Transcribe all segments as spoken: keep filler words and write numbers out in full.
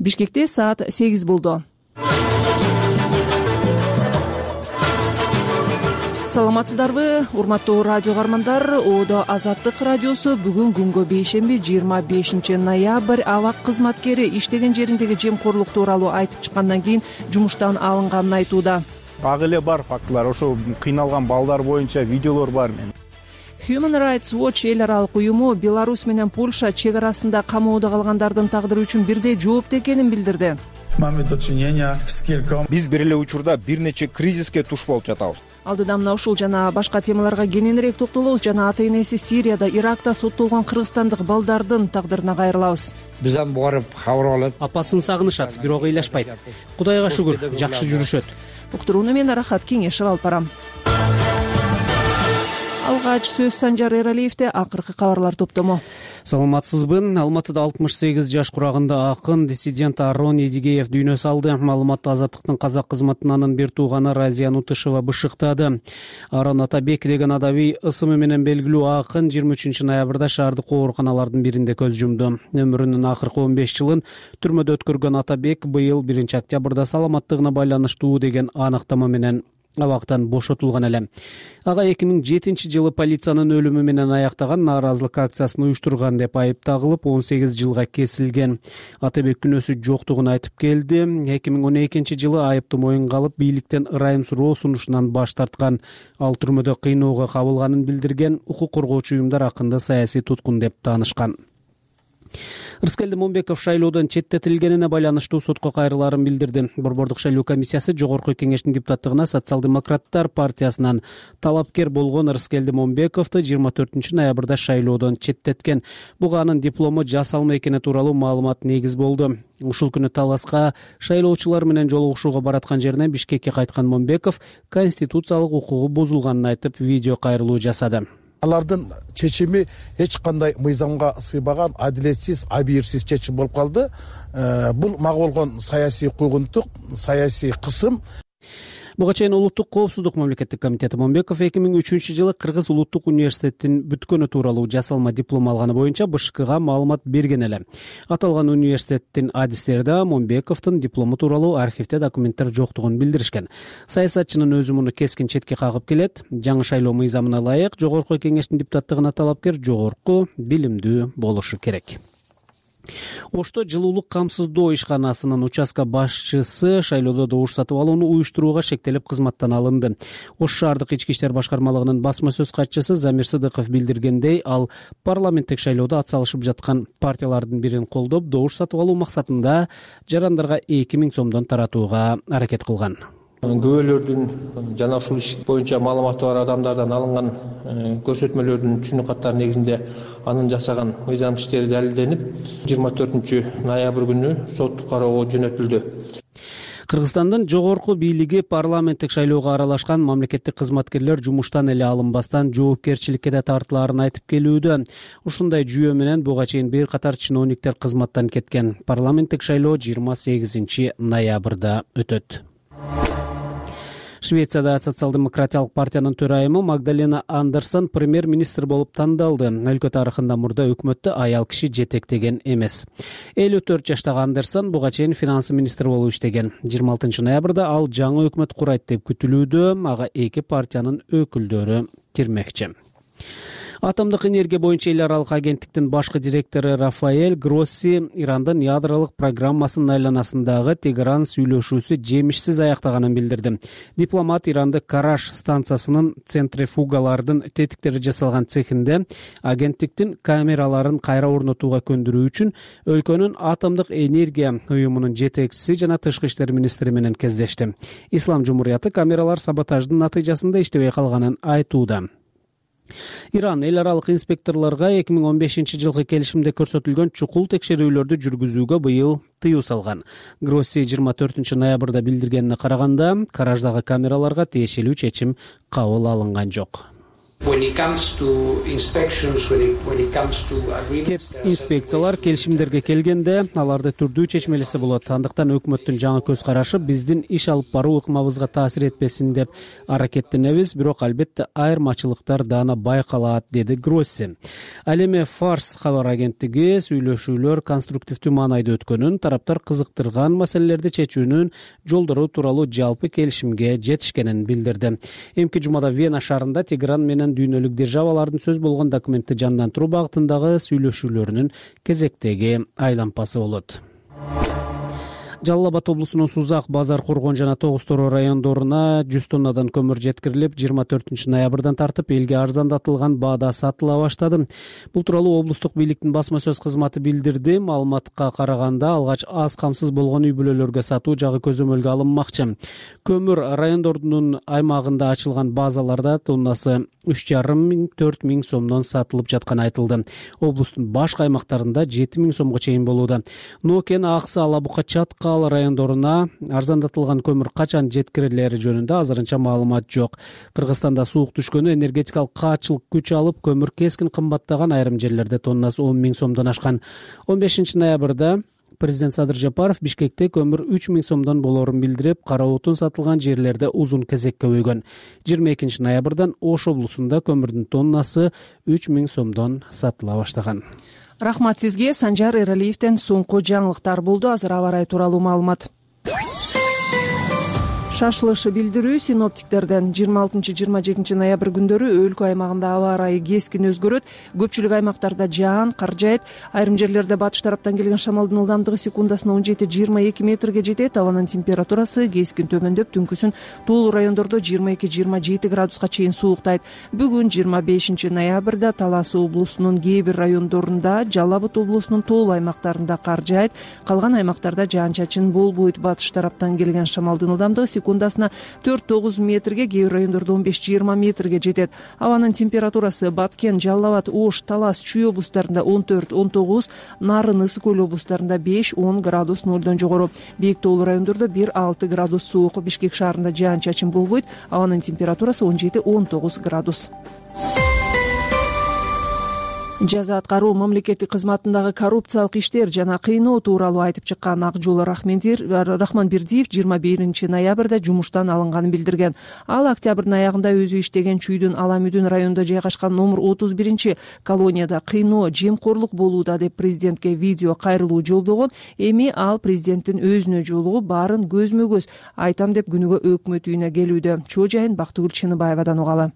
Бишкекте саат сегиз болду. Саламатсыздарбы, урматтуу радио каармандар. Оодо Азаттык радиосу бүгүн күнгө бейшемби жыйырма бешинчи ноябрь абак кызматкери иштеген жериндеги жемкорлук тууралуу айтып чыккандан кийин жумуштан алынганын айтууда. Так эле бар фактылар, ошо кыйналган балдар боюнча видеолор бар. Мен Human Rights Watch эл аралык уюму Беларусь менен Польша чек арасында камоодо калгандардын тагдыры үчүн бирдей жооптуу экенин билдирди. Биз бир эле учурда бир нече кризиске туш болуп жатабыз. Алдыда мына ушул жана башка темаларга кененирээк токтолобуз жана ата-энеси Сирияда, Иракта соттолгон кыргызстандык балдардын тагдырына кайрылабыз. Бизден барып кабар алып, апасын сагынышат, бирок ыйлашпайт. Кудайга шүгүр, жакшы жүрүшөт. Уктурууну мен Рахат Кеңешев алып барам. Алгач сөз Санжар Эралиевде, акыркы кабарлар топтому. Саламатсызбы. Алматыда алтымыш сегиз жаш курагында акын, диссидент Арон Едигеев дүйнө салды. Маалыматты Азаттыктын казак кызматынын бир тууганы Разия Нутышева бышыктады. Арон Атабек деген адабий ысымы менен белгилүү акын жыйырма үчүнчү ноябрда шаардык ооруканалардын биринде көз жумду. Өмүрүнүн акыркы он беш жылын түрмөдө өткөргөн Атабек быйыл биринчи октябрда саламаттыгына байланыштуу деген аныктама менен абактан бошотулган эле. Ага эки миң жетинчи жылы полициянын өлүмү менен аяктаган нааразылык акциясын уюштурган деп айып тагылып он сегиз жылга кесилген. Атабек күнөөсү жоктугун айтып келди. эки миң он экинчи жылы айыптуу моюнга алып, бийликтен ырайым суроо сунушунан баш тарткан. Ал түрмөдө кыйноого кабылганын билдирген. Укук коргоочу уюмдар акынды саясий туткун деп таанышкан. Рыскелди Момбеков шайлоодон четтетилгенине байланыштуу сотко кайрылаарын билдирди. Борбордук шайлоо комиссиясы Жогорку Кеңештин депутаттыгына социал-демократтар партиясынан талапкер болгон Рыскелди Момбековду жыйырма төртүнчү ноябрда шайлоодон четтеткен. Буга анын диплому жасалма экени тууралуу маалымат негиз болду. Ушул күнү таласка шайлоочулар менен жолугушууга бараткан жеринен Бишкекке кайткан Момбеков конституциялык укугу бузулганын айтып, видео кайрылуу жасады. Алардын чечими эч кандай мыйзамга сыйбаган, адилетсиз, абийирсиз чечим болуп калды. Бул мага болгон саясий куйгунтук, саясий кысым. Буга чейин Улуттук коопсуздук мамлекеттик комитети Момбеков эки миң үчүнчү жылы Кыргыз улуттук университетин бүткөнү тууралуу жасалма диплом алганы боюнча БШКга маалымат берген эле. Аталган университеттин адистери да Момбековдун диплому тууралуу архивде документтер жоктугун билдиришкен. Саясатчынын өзү муну кескин четке кагып келет. Жаңы шайлоо мыйзамына ылайык Жогорку Кеңештин депутаттыгына талапкер жогорку билимдүү болушу керек. Ошто жылуулук камсыздоо ишканасынын участка башчысы шайлоодо добуш сатып алууну уюштурууга шектелип кызматтан алынды. Ош шаардык ички иштер башкармалыгынын басма сөз катчысы Замир Сыдыков билдиргендей, ал парламенттик шайлоодо атсалышып жаткан партиялардын бирин колдоп, добуш сатып алуу максатында жарандарга эки миң сомдон таратууга аракет кылган. Күбөлөрдүн жана ушул иш боюнча маалыматы бар адамдардан алынган көрсөтмөлөрдүн түнү каттары негизинде анын жасаган мыйзам иштери далилденип, жыйырма төртүнчү ноябрь күнү соттук кароого жөнөтүлдү. Кыргызстандын жогорку бийлиги парламенттик шайлоого аралашкан мамлекеттик кызматкерлер жумуштан эле алынбастан жоопкерчиликке да тартылаарын айтып келүүдө. Ушундай жүйө менен буга чейин бир катар чиновниктер кызматтан кеткен. Парламенттик шайлоо жыйырма сегизинчи ноябрда өтөт. Швецияда социал-демократиялык партиянын төрайымы Магдалена Андерсон премьер-министр болуп тандалды. Өлкө тарыхында мурда өкмөттө аял киши жетектеген эмес. элүү төрт жаштагы Андерсон буга чейин финанс министри болуп иштеген. жыйырма алтынчы ноябрда ал жаңы өкмөт курайт деп күтүлүүдө. Ага эки партиянын өкүлдөрү кирмекчи. Атомдук энергия боюнча эл аралык агенттиктин башкы директору Рафаэль Гросси Ирандын ядролук программасынын айланасындагы Тегеран сүйлөшүүсү жемишсиз аяктаганын билдирди. Дипломат Иранды Караш станциясынын центрифугалардын тетиктери жасалган цехинде агенттиктин камераларын кайра орнотууга көндүрүү үчүн өлкөнүн атомдук энергия уюмунун жетекчиси жана тышкы иштер министри менен кездешти. Ислам Жумурияты камералар саботаждын натыйжасында иштебей калганын айтууда. Иран эл аралык инспекторлорго эки миң он бешинчи жылкы келишимде көрсөтүлгөн чукул текшерүүлөрдү жүргүзүүгө быйыл тыюу салган. Гросси жыйырма төртүнчү ноябрда билдиргенине караганда, Караждагы камераларга тиешелүү чечим кабыл алынган жок. Инспекциялар келишимдерге келгенде аларды түрдүү чечмелесе болот. Андыктан өкмөттүн жаңы көз карашы биздин иш алып баруу ыкмабызга таасир этпесин деп аракеттенебиз, бирок албетте айырмачылыктар даана байкалат, деди Гросси. Ал эми Фарс кабар агенттиги сүйлөшүүлөр конструктивдүү маанайда өткөнүн, тараптар кызыктырган маселелерди чечүүнүн жолдору тууралуу жалпы келишимге жетишкенин билдирди. Эмки жумада Вена шаарында Тегеран менен дүйнөлүк державалардын сөз болгон документти жандандыруу багытындагы сүйлөшүүлөрүнүн кезектеги айлампасы болот. Жалал Абад облусунун Сузак, Базар Кургон жана Тогуз Тороо райондоруна жүз тоннадан көмүр жеткирилип, жыйырма төртүнчү ноябрдан тартып элге арзандатылган баада сатыла баштады. Бул тууралуу облустук бийликтин басма сөз кызматы билдирди. Маалыматка караганда, алгач аз камсыз болгон үй бүлөлөргө сатуу жагы көзөмөлгө алынмакчы. Көмүр райондордунун аймагында ачылган базаларда тоннасы үч жарым миң төрт миң сомдон сатылып жатканы айтылды. Облустун башка аймактарында жети миң сомго чейин болууда. Нокен, Аксы, Ала Бука, Чаткал райондоруна арзандатылган көмүр качан жеткирилери жөнүндө азырынча маалымат жок. Кыргызстанда суук түшкөнү, энергетикалык каатчылык күч алып, көмүр кескин кымбаттаган, айрым жерлерде тоннасы он миң сомдон ашкан. он бешинчи ноябрда президент Садыр Жапаров Бишкекте көмүр үч миң сомдон болорун билдирип, кара отун сатылган жерлерде узун кезекке өйгөн. жыйырма экинчи ноябрдан Ош облусунда көмүрдүн тоннасы үч миң сомдон сатыла баштаган. Рахмат сизге. Санжар Эралиевден соңку жаңылыктар болду. Азыр аба ырайы тууралуу маалымат. Шашылышы билдирүү синоптиктерден жыйырма алтынчы жыйырма жетинчи ноябрь күндөрү өлкө аймагында аба ырайы кескин өзгөрөт. Көпчүлүк аймактарда жаан, кар жаайт. Айрым жерлерде батыш тараптан келген шамалдын ылдамдыгы секундасына он жети жыйырма эки метрге жетет. Абанын температурасы кескин төмөндөп, түнкүсүн тоолуу райондордо жыйырма эки жыйырма жети градуска чейин сууктайт. Бүгүн жыйырма бешинчи ноябрда Талас облусунун кээ бир райондорунда, Жалал Абад облусунун тоолуу аймактарында кар жаайт. Калган аймактарда жаан-чачын болбойт. Батыш тараптан келген шамалдын ылдамдыгы секундасына төрт тогуз метрге, кээ бир райондордо он беш жыйырма метрге жетет. Абанын температурасы Баткен, Жалал Абад, Ош, Талас, Чүй облустарында он төрт он тогуз, Нарын, Ысык Көл облустарында беш он градус нолдон жогору. Бийик тоолуу райондордо бир алты градус суук. Бишкек шаарында жаан-чачын болбойт. Абанын температурасы он жети он тогуз градус. Жаза аткаруу мамлекеттик кызматындагы коррупциялык иштер жана кыйноо тууралуу айтып чыккан Ак жол Рахманбердиев жыйырма биринчи ноябрда жумуштан алынганын билдирген. Ал октябрдын аягында өзү иштеген Чүйдүн Аламүдүн районунда жайгашкан номер отуз биринчи колонияда кыйноо, жемкорлук болууда деп президентке видео кайрылуу жолдогон. Эми ал президенттин өзүнө жолугуп, баарын көзмө көз айтам деп күнүгө өкмөт үйүнө келүүдө. Чоо жайын Бактыгүл Чыныбаевадан угалы.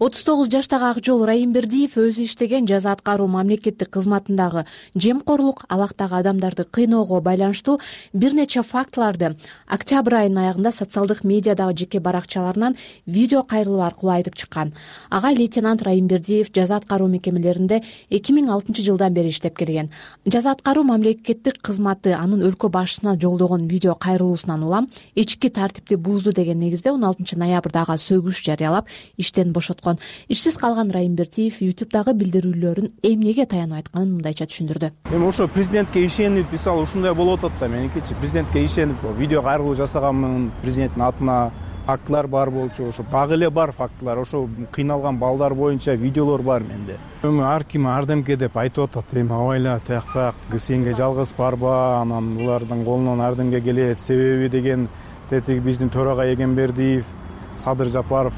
отуз тогуз жаштагы Ак жол Райымбердиев өзү иштеген жаза аткаруу мамлекеттик кызматындагы жемкорлук, алактагы адамдарды кыйноого байланыштуу бир нече фактыларды октябрь айынын аягында социалдык медиадагы жеке баракчаларынан видео кайрылуу аркылуу айтып чыккан. Ага лейтенант Райымбердиев жаза аткаруу мекемелеринде эки миң алтынчы жылдан бери иштеп келген. Жаза аткаруу мамлекеттик кызматы анын өлкө башчысына жолдогон видео кайрылуусунан улам ички тартипти бузду деген негизде он алтынчы ноябрда ага сөгүш жарыялап, иштен бошоткон. Ишсиз калган Райымбердиев ютубтагы билдирүүлөрүн эмнеге таянып айтканын мындайча түшүндүрдү. Эми ошо президентке ишенип, мисалы ушундай болуп атат да, меникичи президентке ишенип видео кайрылуу жасаганмын, президенттин атына фактылар бар болчу, ошо дагы эле бар фактылар, ошо кыйналган балдар боюнча видеолор бар менде. Эми ар ким ардемке деп айтып атат, эми абайла тиякпак, сенге жалгыз барба, анан булардын колунан ардемке келет, себеби деген тетиги биздин төрага Эгембердиев, Садыр Жапаров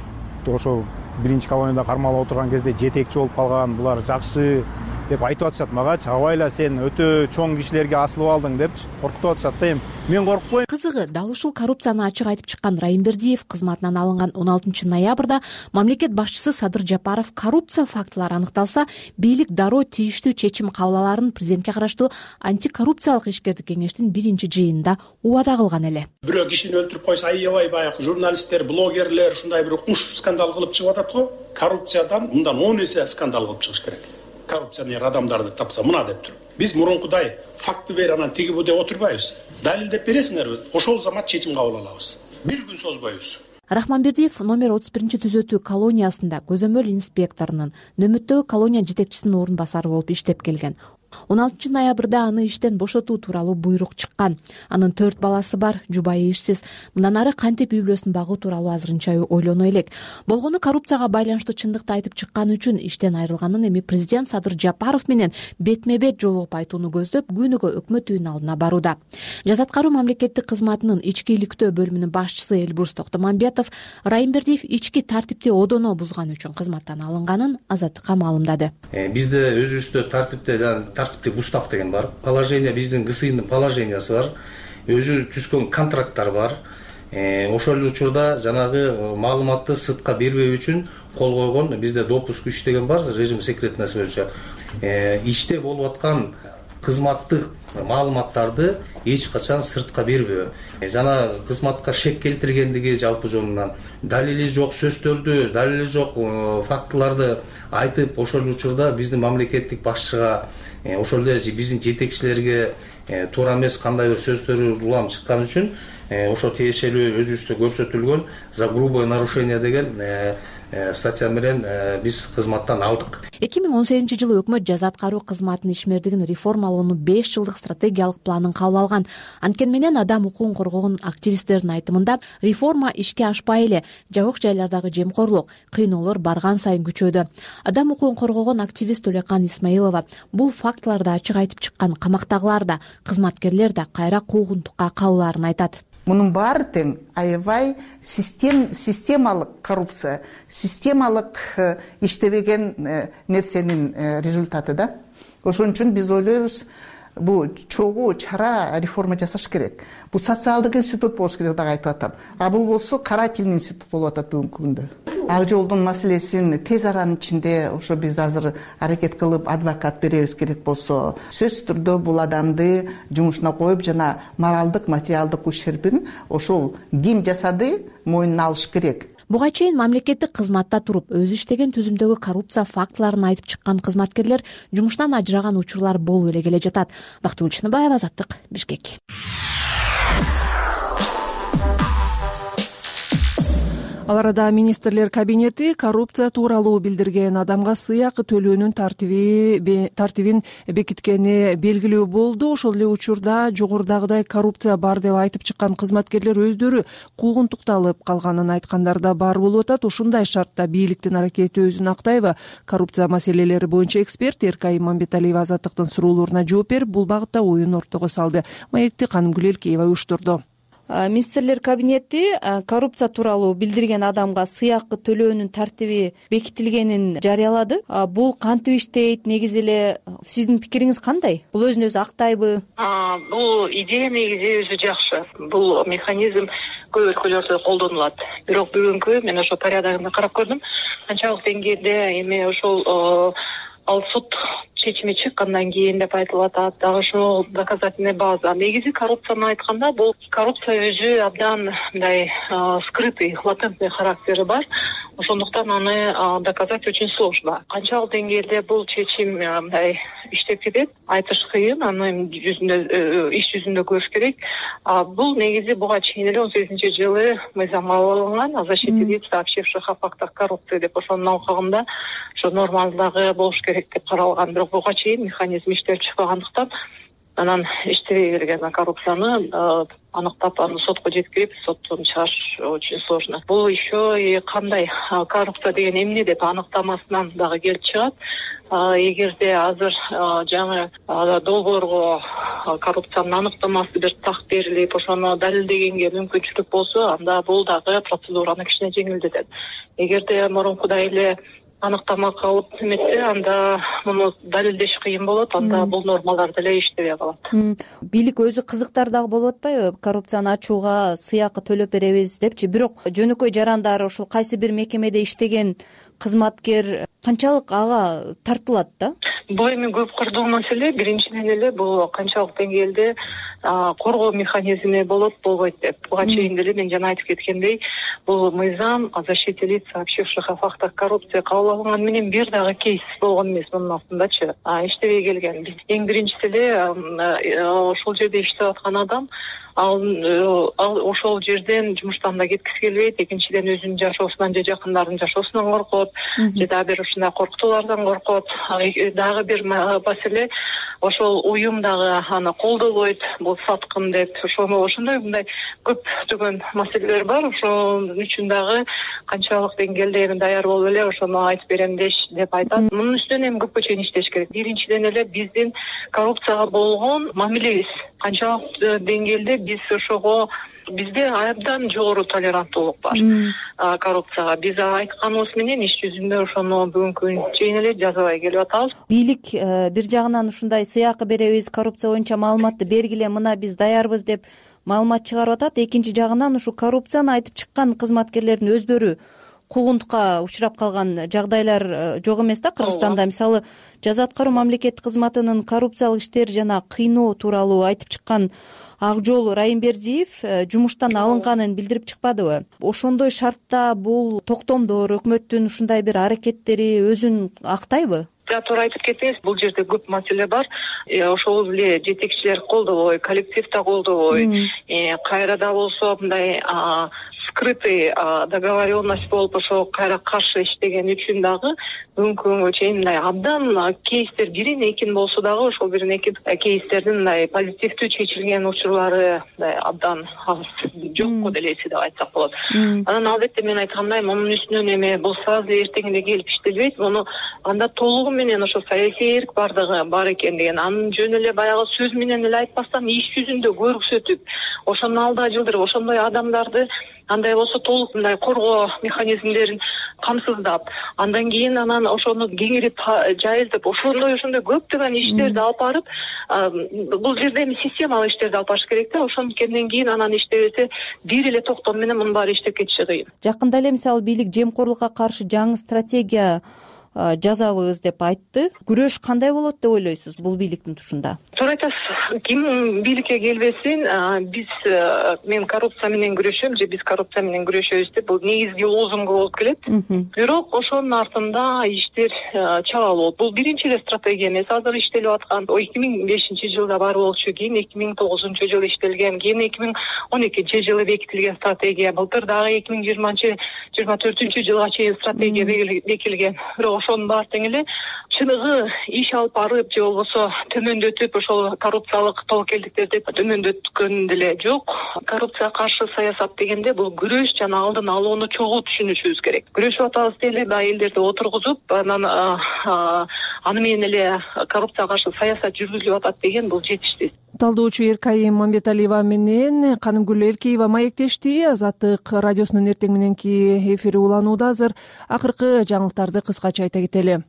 ошо биринчи колонияда кармалып отурган кезде жетекчи болуп калган, булар жакшы деп айтып атышат магачы. Абайла сен өтө чоң кишилерге асылып алдың депчи коркутуп атышат да. Эми мен коркпойм. Кызыгы, дал ушул коррупцияны ачык айтып чыккан Райымбердиев кызматынан алынган он алтынчы ноябрда мамлекет башчысы Садыр Жапаров коррупция фактылары аныкталса, бийлик дароо тийиштүү чечим кабыл аларын президентке караштуу антикоррупциялык ишкердик кеңештин биринчи жыйынында убада кылган эле. Бирөө кишини өлтүрүп койсо аябай баягы журналисттер, блогерлер ушундай бир укмуш скандал кылып чыгып атат го. Коррупциядан мындан он эсе скандал кылып чыгыш керек. Коррупционер адамдарды тапса мына деп туруп. Биз мурункудай факты бер, анан тиги бу деп отурбайбыз. Далилдеп бересиңерби? Ошол замат чечим кабыл алабыз. Бир күн созбойбуз. Рахманбердиев номер отуз биринчи түзөтүү колониясында көзөмөл инспекторунун, Нөмөттөгү колония жетекчисинин орун басары болуп иштеп келген. он алтынчы ноябрда аны иштен бошотуу тууралуу буйрук чыккан. Анын төрт баласы бар, жубайы ишсиз. Мындан ары кантип үй бүлөсүн багуу тууралуу азырынча ойлоно элек. Болгону коррупцияга байланыштуу чындыкты айтып чыкканы үчүн иштен айрылганын эми президент Садыр Жапаров менен бетме бет жолугуп айтууну көздөп, күнүгө өкмөт үйүнүн алдына барууда. Жаза аткаруу мамлекеттик кызматынын ички иликтөө бөлүмүнүн башчысы Элбурс Токтомамбетов Райымбердиев ички тартипти одоно бузганы үчүн кызматтан алынганын Азаттыкка маалымдады. Бизде өзүбүздө тартипте тартиптик устав деген бар. Положение биздин ГСИнин положениясы бар. Өзү түзгөн контракттар бар. Ошол эле учурда жанагы маалыматты сыртка бербөө үчүн кол койгон бизде допуск үч деген бар, режим секретности боюнча. Иште болуп аткан кызматтык маалыматтарды эч качан сыртка бербөө. Жана кызматка шек келтиргендиги жалпы жонунан далили жок сөздөрдү, далили жок фактыларды айтып, ошол учурда биздин мамлекеттик башчыга, ошол эле биздин жетекчилерге туура эмес кандай бир сөздөр улам чыккан үчүн ошо тиешелүү өзүбүздө көрсөтүлгөн за грубое нарушение деген статья менен биз кызматтан алдык. эки миң он сегизинчи жылы өкмөт жаза аткаруу кызматынын ишмердигин реформалоонун беш жылдык стратегиялык планын кабыл алган. Анткени менен адам укугун коргогон активисттердин айтымында реформа ишке ашпай эле жабык жайлардагы жемкорлук, кыйноолор барган сайын күчөдү. Адам укугун коргогон активист Төлөкан Исмаилова бул фактыларды ачык айтып чыккан камактагылар да, кызматкерлер да кайра куугунтукка кабылаарын айтат. Мунун баары тең аябай систем системалык коррупция, системалык иштебеген нерсенин результаты да. Ошон үчүн биз ойлойбуз, бул чогуу чара реформа жасаш керек. Бул социалдык институт болуш керек деп айтып атам. А бул болсо карательный институт болуп атат бүгүнкү күндө. Ак жолдун маселесин тез аранын ичинде ошо биз азыр аракет кылып адвокат беребиз керек болсо, сөзсүз түрдө бул адамды жумушуна коюп жана моралдык, материалдык ущербин ошол ким жасады мойнуна алыш керек. Буга чейин мамлекеттик кызматта туруп, өзү иштеген түзүмдөгү коррупция фактыларын айтып чыккан кызматкерлер жумуштан ажыраган учурлар болуп эле келе жатат. Бактыгүл Чыныбаева, Азаттык, Бишкек. Ал арада министрлер кабинети коррупция тууралуу билдирген адамга сыйакы төлөөнүн тартиби тартибин бекиткени белгилүү болду. Ошол эле учурда жогорудагыдай коррупция бар деп айтып чыккан кызматкерлер өздөрү куугунтукталып калганын айткандар да бар болуп атат. Ушундай шартта бийликтин аракети өзүн актайбы? Коррупция маселелери боюнча эксперт Эркай Иманбеталиева Азаттыктын суроолоруна жооп берип, бул багытта оюн ортого салды. Маекти Канымгүл Элкеева уюштурду. Министрлер кабинети коррупция тууралуу билдирген адамга сыйакы төлөөнүн тартиби бекитилгенин жарыялады. Бул кантип иштейт, негизи эле сиздин пикириңиз кандай? Бул өзүн өзү актайбы? Бул идея негизи өзү жакшы. Бул механизм көп өлкөлөрдө колдонулат. Бирок бүгүнкү мен ошо порядогун карап көрдүм. Канчалык деңгээлде эми ошол ал суд чечими чыккандан кийин деп айтылып атат. Дагы ошол доказательный база. Негизи коррупцияны айтканда бул коррупция өзү абдан мындай скрытый, латентный характери бар. Ошондуктан аны доказать очень сложно. Канчалык деңгээлде бул чечим мындай иштеп кетет, айтыш кыйын, аны жүзүндө иш жүзүндө көрүш керек. Бул негизи буга чейин эле он сегизинчи жылы мыйзам кабыл алынган, о защите лиц, сообщивших о фактах коррупции деп ошонун алкагында ошо нормадагы болуш керек деп каралган. Бирок буга чейин механизм иштеп чыкпагандыктан анан иштебей келген коррупцияны аныктап, аны сотко жеткирип, соттон чыгарыш очень сложно. Бул еще и кандай коррупция деген эмне деп аныктамасынан дагы келип чыгат. Эгерде азыр жаңы долбоорго коррупциянын аныктамасы бир так берилип, ошону далилдегенге мүмкүнчүлүк болсо, анда бул дагы процедураны кичине жеңилдетет. Эгерде мурункудай эле аныктама калып эметсе, анда муну далилдеш кыйын болот, анда бул нормалар деле иштебей калат. Бийлик өзү кызыктар дагы болуп атпайбы? Коррупцияны ачууга сыйакы төлөп беребиз депчи. Бирок жөнөкөй жарандар, ошол кайсы бир мекемеде иштеген кызматкер канчалык ага тартылат да? Бул эми көп кырдуу маселе. Биринчиден эле бул канчалык деңгээлде коргоо механизми болот, болбойт деп. Буга чейин деле мен жана айтып кеткендей, бул мыйзам о защите лиц, сообщивших о фактах коррупции кабыл алынган менен бир дагы кейс болгон эмес мунун астындачы. Иштебей келген. Эң биринчиси эле ошол жерде иштеп аткан адам ал ал ошол жерден жумуштан да кеткиси келбейт, экинчиден өзүнүн жашоосунан же жакындарынын жашоосунан коркот, же дагы бир ушундай коркутуулардан коркот. Дагы бир маселе, ошол уюм дагы аны колдобойт, бул саткын деп. Ошону ошондой мындай көптөгөн маселелер бар. Ошон үчүн дагы канчалык деңгээлде эми даяр болуп эле ошону айтып берем деп айтат. Мунун үстүнөн эми көпкө чейин иштеш керек. Биринчиден эле биздин коррупцияга болгон мамилебиз канчалык деңгээлде биз ошого бизде абдан жогору толеранттуулук бар коррупцияга. Биз айтканыбыз менен иш жүзүндө ошону бүгүнкү күнгө чейин эле жазабай келип атабыз. Бийлик бир жагынан ушундай сыйакы беребиз, коррупция боюнча маалыматты бергиле, мына биз даярбыз деп маалымат чыгарып атат. Экинчи жагынан ушу коррупцияны айтып чыккан кызматкерлердин өздөрү куугунтукка учурап калган жагдайлар жок эмес да Кыргызстанда. Мисалы, жаза аткаруу мамлекеттик кызматынын коррупциялык иштер жана кыйноо тууралуу айтып чыккан Акжол Райымбердиев жумуштан алынганын билдирип чыкпадыбы? Ошондой шартта бул токтомдор, өкмөттүн ушундай бир аракеттери өзүн актайбы? Туура айтып кеттиңиз, бул жерде көп маселе бар. Ошол эле жетекчилер колдобой, коллектив да колдобой, кайрада болсо мындай скрытый договоренность болуп ошо кайра каршы иштеген үчүн дагы бүгүнкү күнгө чейин мындай абдан кейстер бирин экин болсо дагы ошол бирин экин кейстердин мындай позитивдүү чечилген учурлары абдан аз, жокко делеси деп айтсак болот. Анан албетте мен айткандай, мунун үстүнөн эми бул сразу эртеңде келип иштелбейт. Муну анда толугу менен ошо саясий эрк бардыгы бар экен деген, анын жөн эле баягы сөз менен эле айтпастан иш жүзүндө көрсөтүп, ошону алда жылдырып, ошондой адамдарды андай болсо толук мындай коргоо механизмдерин камсыздап, андан кийин анан ошону кеңирип жайылтып, ошондой ошондой көптөгөн иштерди алып барып, бул жерде эми системалык иштерди алып барыш керек да. Ошондон кийин анан иштебесе бир эле токтом менен мунун баары иштеп кетиши кыйын. Жакында эле мисалы бийлик жемкорлукка каршы жаңы стратегия жазабыз деп айтты. Күрөш кандай болот деп ойлойсуз бул бийликтин тушунда? Туура айтасыз. Ким бийликке келбесин, биз мен коррупция менен күрөшөм же биз коррупция менен күрөшөбүз деп бул негизги лозунгу болуп келет. Бирок ошонун артында иштер чала болот. Бул биринчи эле стратегия эмес, азыр иштелип аткан. эки миң бешинчи жылда бар болчу, кийин эки миң тогузунчу жылы иштелген, кийин эки миң он экинчи жылы бекитилген стратегия. Былтыр дагы эки миң жыйырманчы жыйырма төртүнчү жылга чейин стратегия бекитилген. Ошонун баары тең эле чыныгы иш алып барып же болбосо төмөндөтүп ошол коррупциялык тобокелдиктерди төмөндөткөн деле жок. Коррупцияга каршы саясат дегенде бул күрөш жана алдын алууну чогуу түшүнүшүбүз керек. Күрөшүп атабыз деле элдерди отургузуп, анан аны менен эле коррупцияга каршы саясат жүргүзүлүп атат деген бул жетиштүү. Талдоочу Эркайым Мамбеталиева менен Канымгүл Эркеева маектешти. Азаттык радиосунун эртең мененки эфири уланууда. Азыр акыркы жаңылыктарды кыскача айта кетели.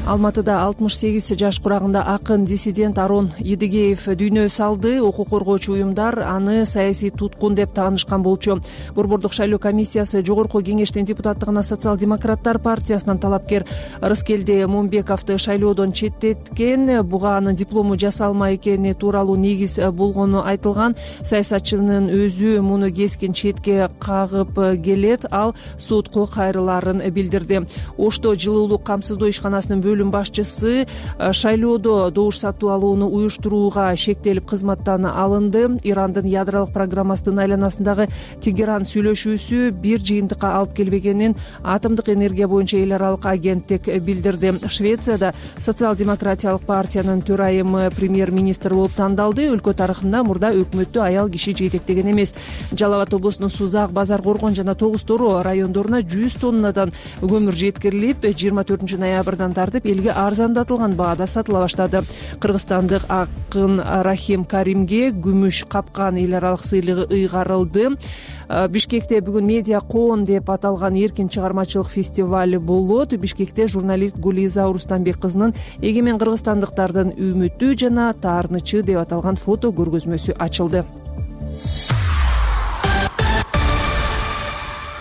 Алматыда алтымыш сегиз жаш курагында акын диссидент Арон Едигеев дүйнө салды. Укук коргоочу уюмдар аны саясий туткун деп таанышкан болчу. Борбордук шайлоо комиссиясы Жогорку кеңештин депутаттыгына социал-демократтар партиясынан талапкер Рыскелди Момбековду шайлоодон четтеткен. Буга анын диплому жасалма экени тууралуу негиз болгону айтылган. Саясатчынын өзү муну кескин четке кагып келет. Ал сотко кайрылаарын билдирди. Ошто жылуулук камсыздоо ишканасынын бөлүм башчысы шайлоодо добуш сатуу алууну уюштурууга шектелип кызматтан алынды. Ирандын ядролук программасынын айланасындагы Тегеран сүйлөшүүсү бир жыйынтыкка алып келбегенин Атомдук энергия боюнча эл аралык агенттик билдирди. Швецияда социал-демократиялык партиянын төрайымы премьер-министр болуп тандалды. Өлкө тарыхында мурда өкмөттү аял киши жетектеген эмес. Жалал Абад облусунун Сузак, Базар Коргон жана Тогуз Тору райондоруна жүз тоннадан көмүр жеткирилип, жыйырма төртүнчү ноябрдан тартып элге арзандатылган баада сатыла баштады. Кыргызстандык акын Рахим Каримге күмүш капкан эл аралык сыйлыгы ыйгарылды. Бишкекте бүгүн медиа коон деп аталган эркин чыгармачылык фестивали болот. Бишкекте журналист Гулиза Урустанбек кызынын эгемен кыргызстандыктардын үмүтү жана таарынычы деп аталган фото көргөзмөсү ачылды.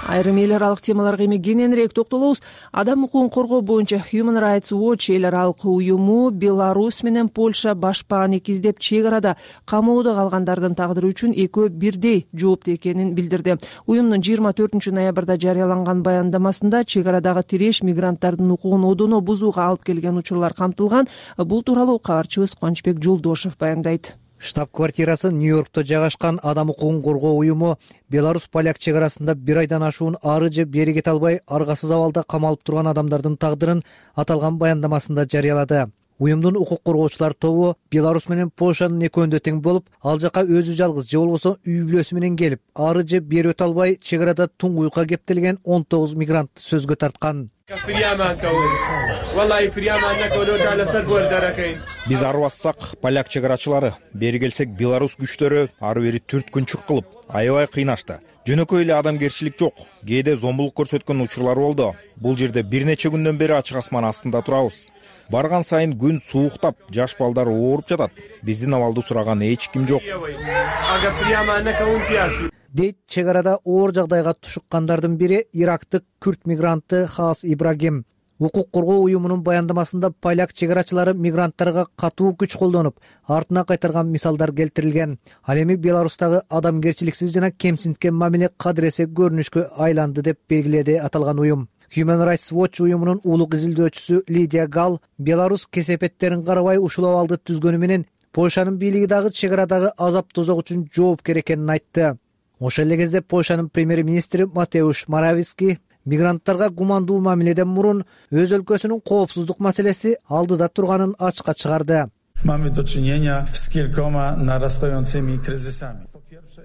Айрым эл аралык темаларга эми кененирээк токтолобуз. Адам укугун коргоо боюнча Human Rights Watch эл аралык уюму Беларусь менен Польша башпааны издеп чек арада камоодо калгандардын тагдыры үчүн экөө бирдей жооптуу экенин билдирди. Уюмдун жыйырма төртүнчү ноябрда жарыяланган баяндамасында чек арадагы тиреш мигранттардын укугун одоно бузууга алып келген учурлар камтылган. Бул тууралуу кабарчыбыз Кубанычбек Жолдошев баяндайт. Штаб-квартирасы Нью-Йоркто жайгашкан Адам укугун коргоо уюму Беларусь-поляк чек арасында бир айдан ашуун ары же бери кете албай аргасыз абалда камалып турган адамдардын тагдырын аталган баяндамасында жарыялады. Уюмдун укук коргоочулар тобу Беларусь менен Польшанын экөөндө тең болуп, ал жака өзү жалгыз же болбосо үй бүлөсү менен келип, ары же бери өтө албай чек арада туңгуюкка кептелген он тогуз мигрантты сөзгө тарткан. Биз арбассак поляк чек арачылары, бери келсек Беларусь күчтөрү ары бери түрткүнчүк кылып, аябай кыйнашты. Жөнөкөй эле адамгерчилик жок, кээде зомбулук көрсөткөн учурлар болду. Бул жерде бир нече күндөн бери ачык асман астында турабыз. Барган сайын күн сууктап, жаш балдар ооруп жатат. Биздин абалды сураган эч ким жок. Дейт чек арада оор жагдайга тушуккандардын бири ирактык күрд мигранты Хаас Ибрагим. Укук коргоо уюмунун баяндамасында поляк чек арачылары мигранттарга катуу күч колдонуп, артына кайтарган мисалдар келтирилген. Ал эми Беларустагы адамгерчиликсиз жана кемсинткен мамиле кадыресе көрүнүшкө айланды деп белгиледи аталган уюм. Human Rights Watch уюмунун улук изилдөөчүсү Лидия Гал Беларусь кесепеттерин карабай ушул абалды түзгөнү менен Польшанын бийлиги дагы чек арадагы азап тозок үчүн жоопкер экенин айтты. Ошол эле кезде Польшанын премьер-министри Матеуш Моравицки мигранттарга гумандуу мамиледен мурун өз өлкөсүнүн коопсуздук маселеси алдыда турганын ачыкка чыгарды.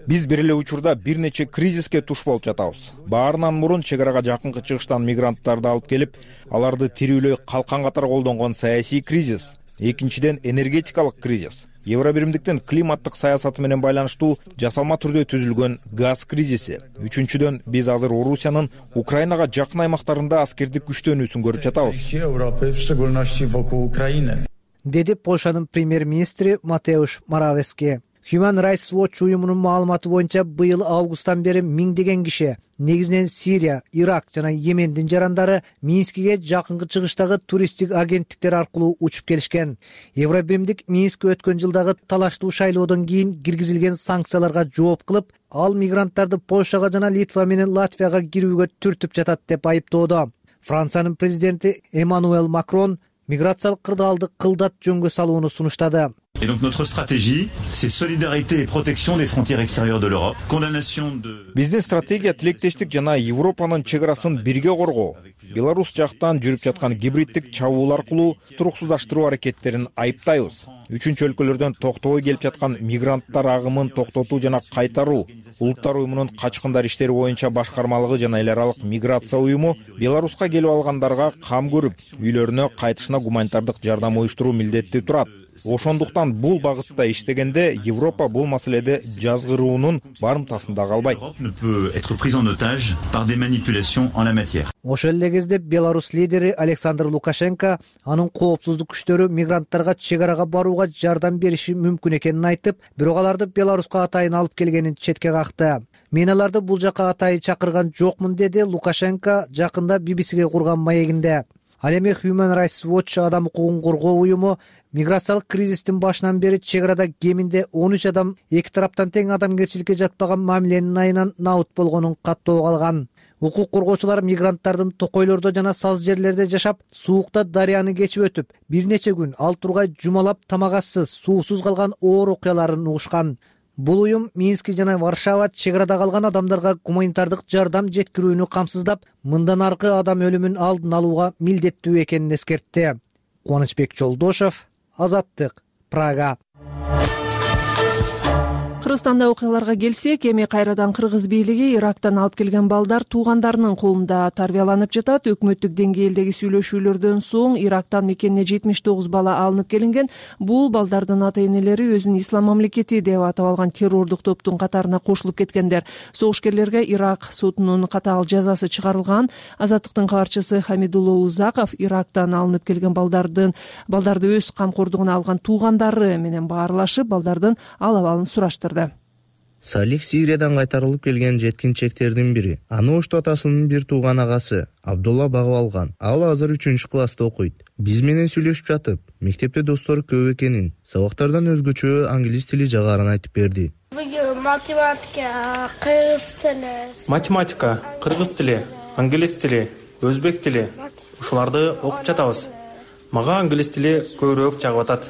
Биз бир эле учурда бир нече кризиске туш болуп жатабыз. Баарынан мурун чек арага жакынкы чыгыштан мигранттарды алып келип, аларды тирүүлөй калкан катары колдонгон саясий кризис. Экинчиден энергетикалык кризис. Евробиримдиктин климаттык саясаты менен байланыштуу жасалма түрдө түзүлгөн газ кризиси. Үчүнчүдөн биз азыр Орусиянын Украинага жакын аймактарында аскердик күчтөнүүсүн көрүп жатабыз. Деди Польшанын премьер-министри Матеуш Моравицки. Human Rights Watch уюмунун маалыматы боюнча быйыл августтан бери миңдеген киши, негизинен Сирия, Ирак жана Йемендин жарандары Минскиге жакынкы чыгыштагы туристтик агенттиктер аркылуу учуп келишкен. Евробиримдик Минск өткөн жылдагы талаштуу шайлоодон кийин киргизилген санкцияларга жооп кылып, ал мигранттарды Польшага жана Литва менен Латвияга кирүүгө түртүп жатат деп айыптоодо. Франциянын президенти Эммануэл Макрон миграциялык кырдаалды кылдат жөнгө салууну сунуштады. Et donc notre stratégie, c'est solidarité et protection des frontières extérieures de l'Europe. Condamnation de Биздин стратегия тилектештик жана Европанын чек арасын бирге коргоо. Беларусь жактан жүрүп жаткан гибриддик чабуул аркылуу туруксуздаштыруу аракеттерин айыптайбыз. Үчүнчү өлкөлөрдөн токтобой келип жаткан мигранттар агымын токтотуу жана кайтаруу. Улуттар уюмунун качкындар иштери боюнча башкармалыгы жана эл аралык миграция уюму Беларуска келип алгандарга кам көрүп, үйлөрүнө кайтышына гуманитардык жардам уюштуруу милдети турат. Ошондуктан бул багытта иштегенде Европа бул маселеде жазгыруунун барымтасында калбайт. Ошол эле кезде Беларусь лидери Александр Лукашенко анын коопсуздук күчтөрү мигранттарга чек арага барууга жардам бериши мүмкүн экенин айтып, бирок аларды Беларуска атайын алып келгенин четке какты. Мен аларды бул жака атайын чакырган жокмун, деди Лукашенко жакында би би сиге курган маегинде. Ал эми Human Rights Watch адам укугун коргоо уюму миграциялык кризистин башынан бери чек арада кеминде он үч адам эки тараптан тең адамгерчиликке жатпаган мамиленин айынан набыт болгонун каттоо калган. Укук коргоочулар мигранттардын токойлордо жана саз жерлерде жашап, суукта дарыяны кечип өтүп, бир нече күн ал тургай жумалап тамагасыз, суусуз калган оор окуяларын угушкан. Бул уюм Минск жана Варшава чек арада калган адамдарга гуманитардык жардам жеткирүүнү камсыздап, мындан аркы адам өлүмүн алдын алууга милдеттүү экенин эскертти. Кубанычбек Жолдошев, Азаттык, Прага. Кыргызстанда окуяларга келсек, эми кайрадан кыргыз бийлиги Ирактан алып келген балдар туугандарынын колунда тарбияланып жатат. Өкмөттүк деңгээлдеги сүйлөшүүлөрдөн соң Ирактан мекенине жетимиш тогуз бала алынып келинген. Бул балдардын ата-энелери өзүн ислам мамлекети деп атап алган террордук топтун катарына кошулуп кеткендер. Согушкерлерге Ирак сотунун катаал жазасы чыгарылган. Азаттыктын кабарчысы Хамидулло Узаков Ирактан алынып келген балдардын балдарды өз камкордугуна алган туугандары менен баарлашып, балдардын ал абалын сураштырды. Салих Сириядан кайтарылып келген жеткинчектердин бири. Аны Ошто атасынын бир тууган агасы Абдулла багып алган. Ал азыр үчүнчү класста окуйт. Биз менен сүйлөшүп жатып, мектепте достору көп экенин, сабактардан өзгөчө англис тили жагарын айтып берди. Математика, кыргыз тили. Математика, кыргыз тили, англис тили, өзбек тили. Ушуларды окуп жатабыз. Мага англис тили көбүрөөк жагып атат.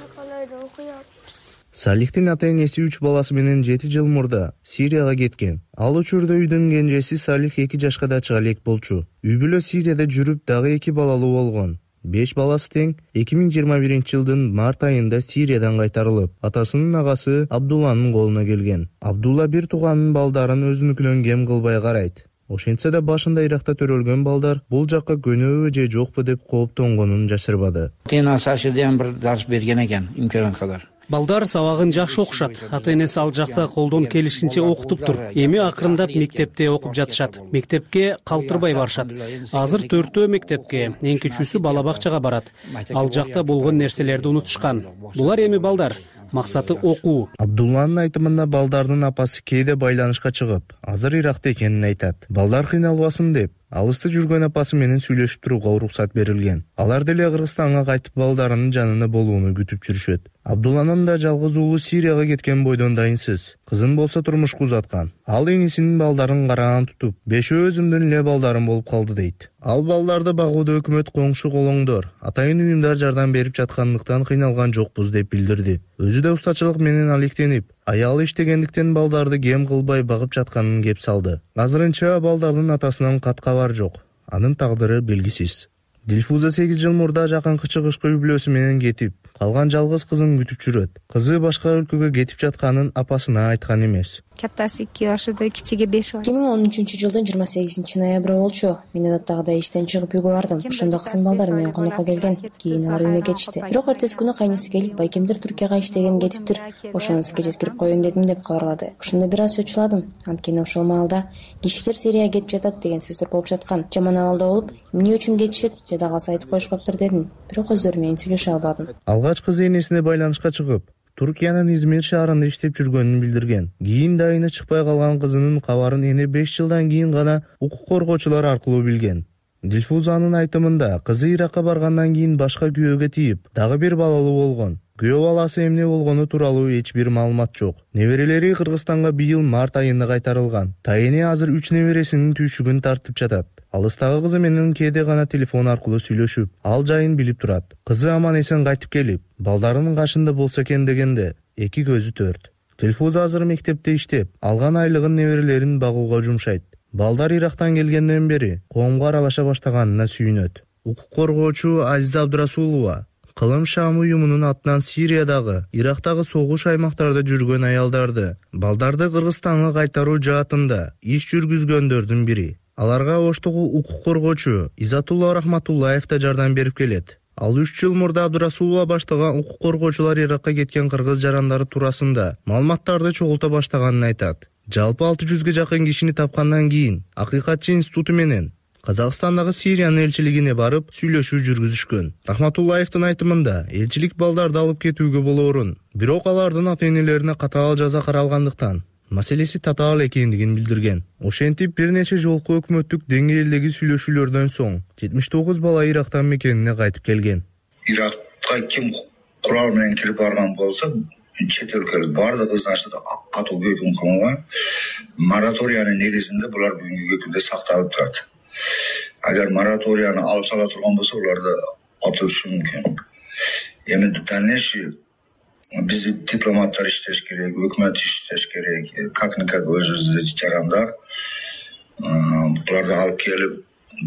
Салихтин ата-энеси үч баласы менен жети жыл мурда Сирияга кеткен. Ал учурда үйдүн кенжеси Салих эки жашка да чыга элек болчу. Үй бүлө Сирияда жүрүп дагы эки балалуу болгон. беш баласы тең эки миң жыйырма биринчи жылдын март айында Сириядан кайтарылып, атасынын агасы Абдулланын колуна келген. Абдулла бир тууганынын балдарын өзүнүкүнөн кем кылбай карайт. Ошентсе да башында Иракта төрөлгөн балдар бул жакка көнөбү же жокпу деп кооптонгонун жашырбады. Тенасашыдан бир дарс берген экен, имкан кадар. Балдар сабагын жакшы окушат. Ата-энеси ал жакта колдон келишинче окутуптур. Эми акырындап мектепте окуп жатышат. Мектепке калтырбай барышат. Азыр төртөө мектепке, эң кичүүсү бала бакчага барат. Ал жакта болгон нерселерди унутушкан. Булар эми балдар. Максаты окуу. Абдулланын айтымында балдардын апасы кээде байланышка чыгып, азыр Иракта экенин айтат. Балдар кыйналбасын деп, алыста жүргөн апасы менен сүйлөшүп турууга уруксат берилген. Алар деле Кыргызстанга кайтып балдарынын жанында болууну күтүп жүрүшөт. Абдулланын да жалгыз уулу Сирияга кеткен бойдон дайынсыз. Кызын болсо турмушка узаткан. Ал эңисинин балдарын караан тутуп, бешөө өзүмдүн эле балдарым болуп калды дейт. Ал балдарды багууда өкмөт коңшу колоңдор, атайын уюмдар жардам берип жаткандыктан кыйналган жокпуз деп билдирди. Өзү да устачылык менен алектенип, аялы иштегендиктен балдарды кем кылбай багып жатканын кеп салды. Азырынча балдардын атасынан кат кабар жок. Анын тагдыры белгисиз. Дилфуза сегиз жыл мурда жакынкы чыгышка үй бүлөсү менен кетип, калган жалгыз кызын күтүп жүрөт. Кызы башка өлкөгө кетип жатканын апасына айткан эмес. Каттасы эки жашыда, кичиги беш жаш. эки миң он үчүнчү жылдын жыйырма сегизинчи ноябры болчу. Мен адаттагыдай иштен чыгып үйгө бардым. Ошондо кызым балдар менен конокко келген. Кийин алар үйүнө кетишти. Бирок эртеси күнү кайнысы келип, байкемдер Түркияга иштеген кетиптир. Ошонусуга жеткирип коеюн дедим деп кабарлады. Ошондо бир аз чочуладым. Анткени ошол маалда кишилер Сирияга кетип жатат деген сөздөр болуп жаткан. Жаман абалда болуп, эмне үчүн кетишет, жада калса айтып коюшпаптыр дедим. Бирок өздөрү менен сүйлөшө албадым. Алгач кызы энесине байланышка чыгып, Туркиянын Измир шаарында иштеп жүргөнүн билдирген. Кийин дайыны чыкпай калган кызынын кабарын эне беш жылдан кийин гана укук коргоочулар аркылуу билген. Дилфузанын айтымында кызы Иракка баргандан кийин башка күйөөгө тийип, дагы бир балалуу болгон. Күйөө баласы эмне болгону тууралуу эч бир маалымат жок. Неберелери Кыргызстанга быйыл март айында кайтарылган. Тайыне азыр үч небересинин түйшүгүн тартып жатат. Алыстагы кызы менен кээде гана телефон аркылуу сүйлөшүп, ал жайын билип турат. Кызы аман эсен кайтып келип, балдарынын кашында болсо экен дегенде, эки көзү төрт. Дилфуза азыр мектепте иштеп, алган айлыгын неберелерин багууга жумшайт. Балдар Ирактан келгенден бери коомго аралаша баштаганына сүйүнөт. Укук коргоочу Азиза Абдурасулова Кылым Шам уюмунун атынан Сириядагы, Ирактагы согуш аймактарда жүргөн аялдарды, балдарды Кыргызстанга кайтаруу жаатында иш жүргүзгөндөрдүн бири. Аларга оштогу укук коргоочу Изатулла Рахматуллаев да жардам берип келет. Ал үч жыл мурда Абдурасулова баштаган укук коргоочулар Иракка кеткен кыргыз жарандары туурасында маалыматтарды чогулта баштаганын айтат. Жалпы алты жүзгө жакын кишини тапкандан кийин Акыйкатчы институту менен Казакстандагы Сириянын элчилигине барып сүйлөшүү жүргүзүшкөн. Рахматуллаевдин айтымында элчилик балдарды алып кетүүгө болоорун, бирок алардын ата-энелерине катаал жаза каралгандыктан маселеси татаал экендигин билдирген. Ошентип бир нече жолку өкмөттүк деңгээлдеги сүйлөшүүлөрдөн соң жетимиш тогуз бала Ирактан мекенине кайтып келген. Иракка ким курал менен кирип барган болсо, чет өлкөлүк баардыгы значит катуу өкүм кылынган. Мораториянын негизинде булар бүгүнкү күндө сакталып турат. Агар мораторияны алып сала турган болсо, уларды атышы мүмкүн. Эми дальнейший биз дипломаттар иштеш керек, өкмөт иштеш керек, как-никак өзүбүздү жарандар буларды алып келип,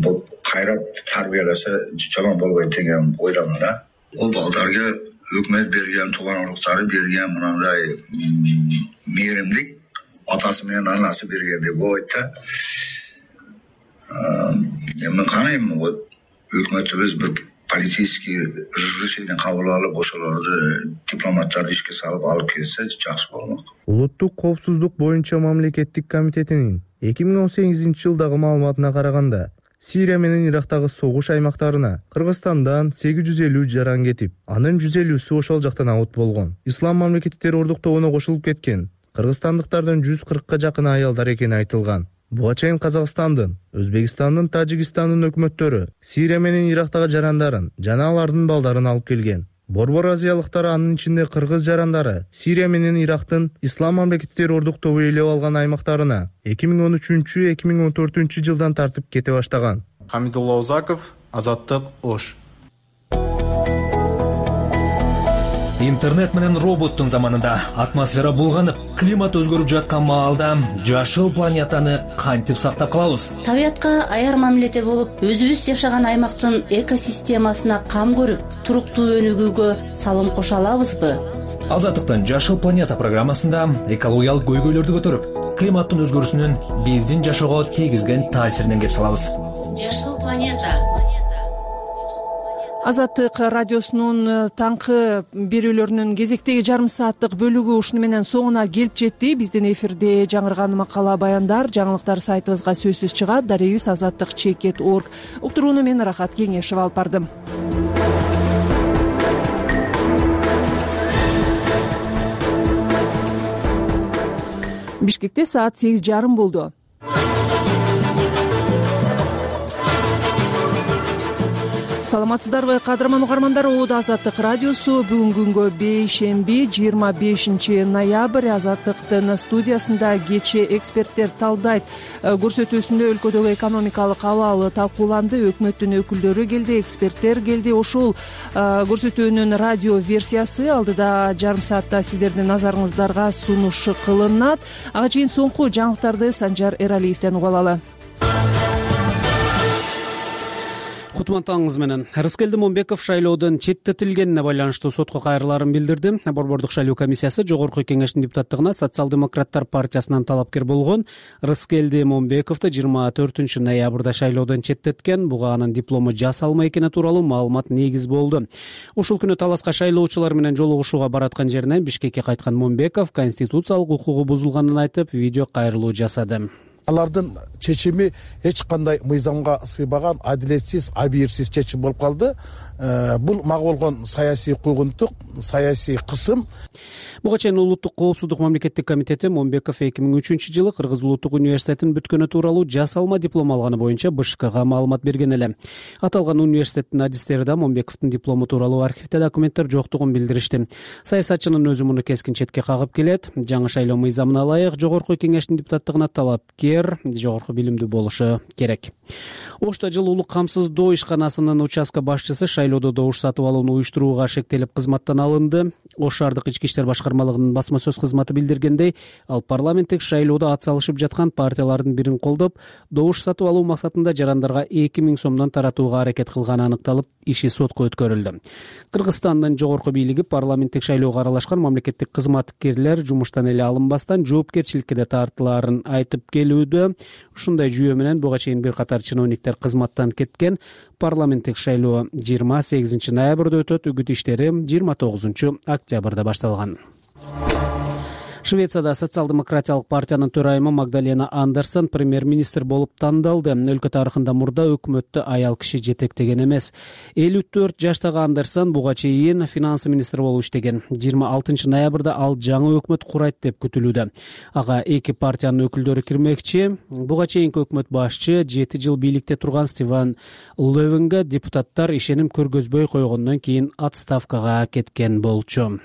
бул кайра тарбияласа жаман болбойт деген ойдомун да. Ол балдарга өкмөт берген, тууган уруктары берген мындай мээримдик атасы менен анасы бергендей болот да. Эми карайм, өкмөтүбүз бир политический решение кабыл алып, ошолорду дипломаттарды ишке салып алып келсе жакшы болмок. Улуттук коопсуздук боюнча мамлекеттик комитетинин эки миң он сегизинчи жылдагы маалыматына караганда, Сирия менен Ирактагы согуш аймактарына Кыргызстандан сегиз жүз элүү жаран кетип, анын жүз элүүсү ошол жактан аут болгон. Ислам мамлекеттер ордуктообуна кошулуп кеткен кыргызстандыктардын жүз кыркка жакын аялдар экени айтылган. Буга чейин Казакстандын, Өзбекстандын, Тажикстандын өкмөттөрү Сирия менен Ирактагы жарандарын жана алардын балдарын алып келген. Борбор азиялыктар, анын ичинде кыргыз жарандары, Сирия менен Ирактын Ислам мамлекеттер ордуктообу ээлеп алган аймактарына эки миң он үчүнчү эки миң он төртүнчү жылдан тартып кете баштаган. Хамидулла Узаков, Азаттык, Ош. интернет менен роботтун заманында атмосфера булганып, климат өзгөрүп жаткан маалда жашыл планетаны кантип сактап калабыз? Табиятка аяр мамиледе болуп, өзүбүз жашаган аймактын экосистемасына кам көрүп, туруктуу өнүгүүгө салым кошо алабызбы? Азаттыктын Жашыл планета программасында экологиялык көйгөйлөрдү көтөрүп, климаттын өзгөрүүсүнүн биздин жашоого тийгизген таасиринен кеп салабыз. Жашыл планета. Азаттык радиосунун таңкы берүүлөрүнүн кезектеги жарым сааттык бөлүгү ушуну менен соңуна келип жетти. Биздин эфирде жаңырган макала баяндар, жаңылыктар сайтыбызга сөзсүз чыгат. Дарегибиз азаттык чекит орг. Уктурууну мен Рахат Кеңешева алып бардым. Бишкекте саат сегиз жарым болду. Саламатсыздарбы, кадырман угармандар? Оодо Азаттык радиосу бүгүнкү күнгө бейшемби жыйырма бешинчи ноябрь. Азаттыктын студиясында кечээ эксперттер талдайт көрсөтүүсүндө өлкөдөгү экономикалык абал талкууланды. Өкмөттүн өкүлдөрү келди, эксперттер келди. Ошол көрсөтүүнүн радио версиясы алдыда жарым саатта сиздердин назарыңыздарга сунуш кылынат. Ага чейин соңку жаңылыктарды Санжар Эралиевден угуп алалы. Кутман таңыңыз менен. Рыскелди Момбеков шайлоодон четтетилгенине байланыштуу сотко кайрылаарын билдирди. Борбордук шайлоо комиссиясы Жогорку Кеңештин депутаттыгына социал-демократтар партиясынан талапкер болгон Рыскелди Момбековду жыйырма төртүнчү ноябрда шайлоодон четтеткен. Буга анын диплому жасалма экени тууралуу маалымат негиз болду. Ушул күнү таласка шайлоочулар менен жолугушууга бараткан жеринен Бишкекке кайткан Момбеков конституциялык укугу бузулганын айтып, видео кайрылуу жасады. Алардын чечими эч кандай мыйзамга сыйбаган, адилетсиз, абийирсиз чечим болуп калды. Бул мага болгон саясий куугунтук, саясий кысым. Буга чейин Улуттук коопсуздук мамлекеттик комитети Момбеков эки миң үчүнчү жылы Кыргыз Улуттук университетин бүткөнү тууралуу жасалма диплом алганы боюнча БШКга маалымат берген эле. Аталган университеттин адистери да Момбековдун диплому тууралуу архивде документтер жоктугун билдиришти. Саясатчынын өзү муну кескин четке кагып келет. Жаңы шайлоо мыйзамына ылайык Жогорку Кеңештин депутаттыгына талапкер жогорку билимдүү болушу керек. Ошто жыл улук камсыздоо ишканасынын участка башчысы шайлоодо добуш сатып алууну уюштурууга шектелип кызматтан алынды. Ош шаардык ички иштер башкармалыгынын басма сөз кызматы билдиргендей, ал парламенттик шайлоодо ат салышып жаткан партиялардын бирин колдоп, добуш сатып алуу максатында жарандарга эки миң сомдон таратууга аракет кылганы аныкталып, иши сотко өткөрүлдү. Кыргызстандын жогорку бийлиги парламенттик шайлоого аралашкан мамлекеттик кызматкерлер жумуштан эле алынбастан жоопкерчиликке да тартылаарын айтып келүүдө. Ушундай жүйө менен буга чейин бир катар чиновниктер кызматтан кеткен. Парламенттик шайлоо жыйырма сегизинчи ноябрда өтөт, үгүт иштери жыйырма тогузунчу октябрда башталган. Швецияда социал-демократиялык партиянын төрайымы Магдалена Андерсон премьер-министр болуп тандалды. Өлкө тарыхында мурда өкмөттү аял киши жетектеген эмес. элүү төрт жаштагы Андерсон буга чейин финансы министри болуп иштеген. жыйырма алтынчы ноябрда ал жаңы өкмөт курайт деп күтүлүүдө. Ага эки партиянын өкүлдөрү кирмекчи. Буга чейинки өкмөт башчы жети жыл бийликте турган Стивен Левенге депутаттар ишеним көргөзбөй койгондон кийин отставкага кеткен болчу.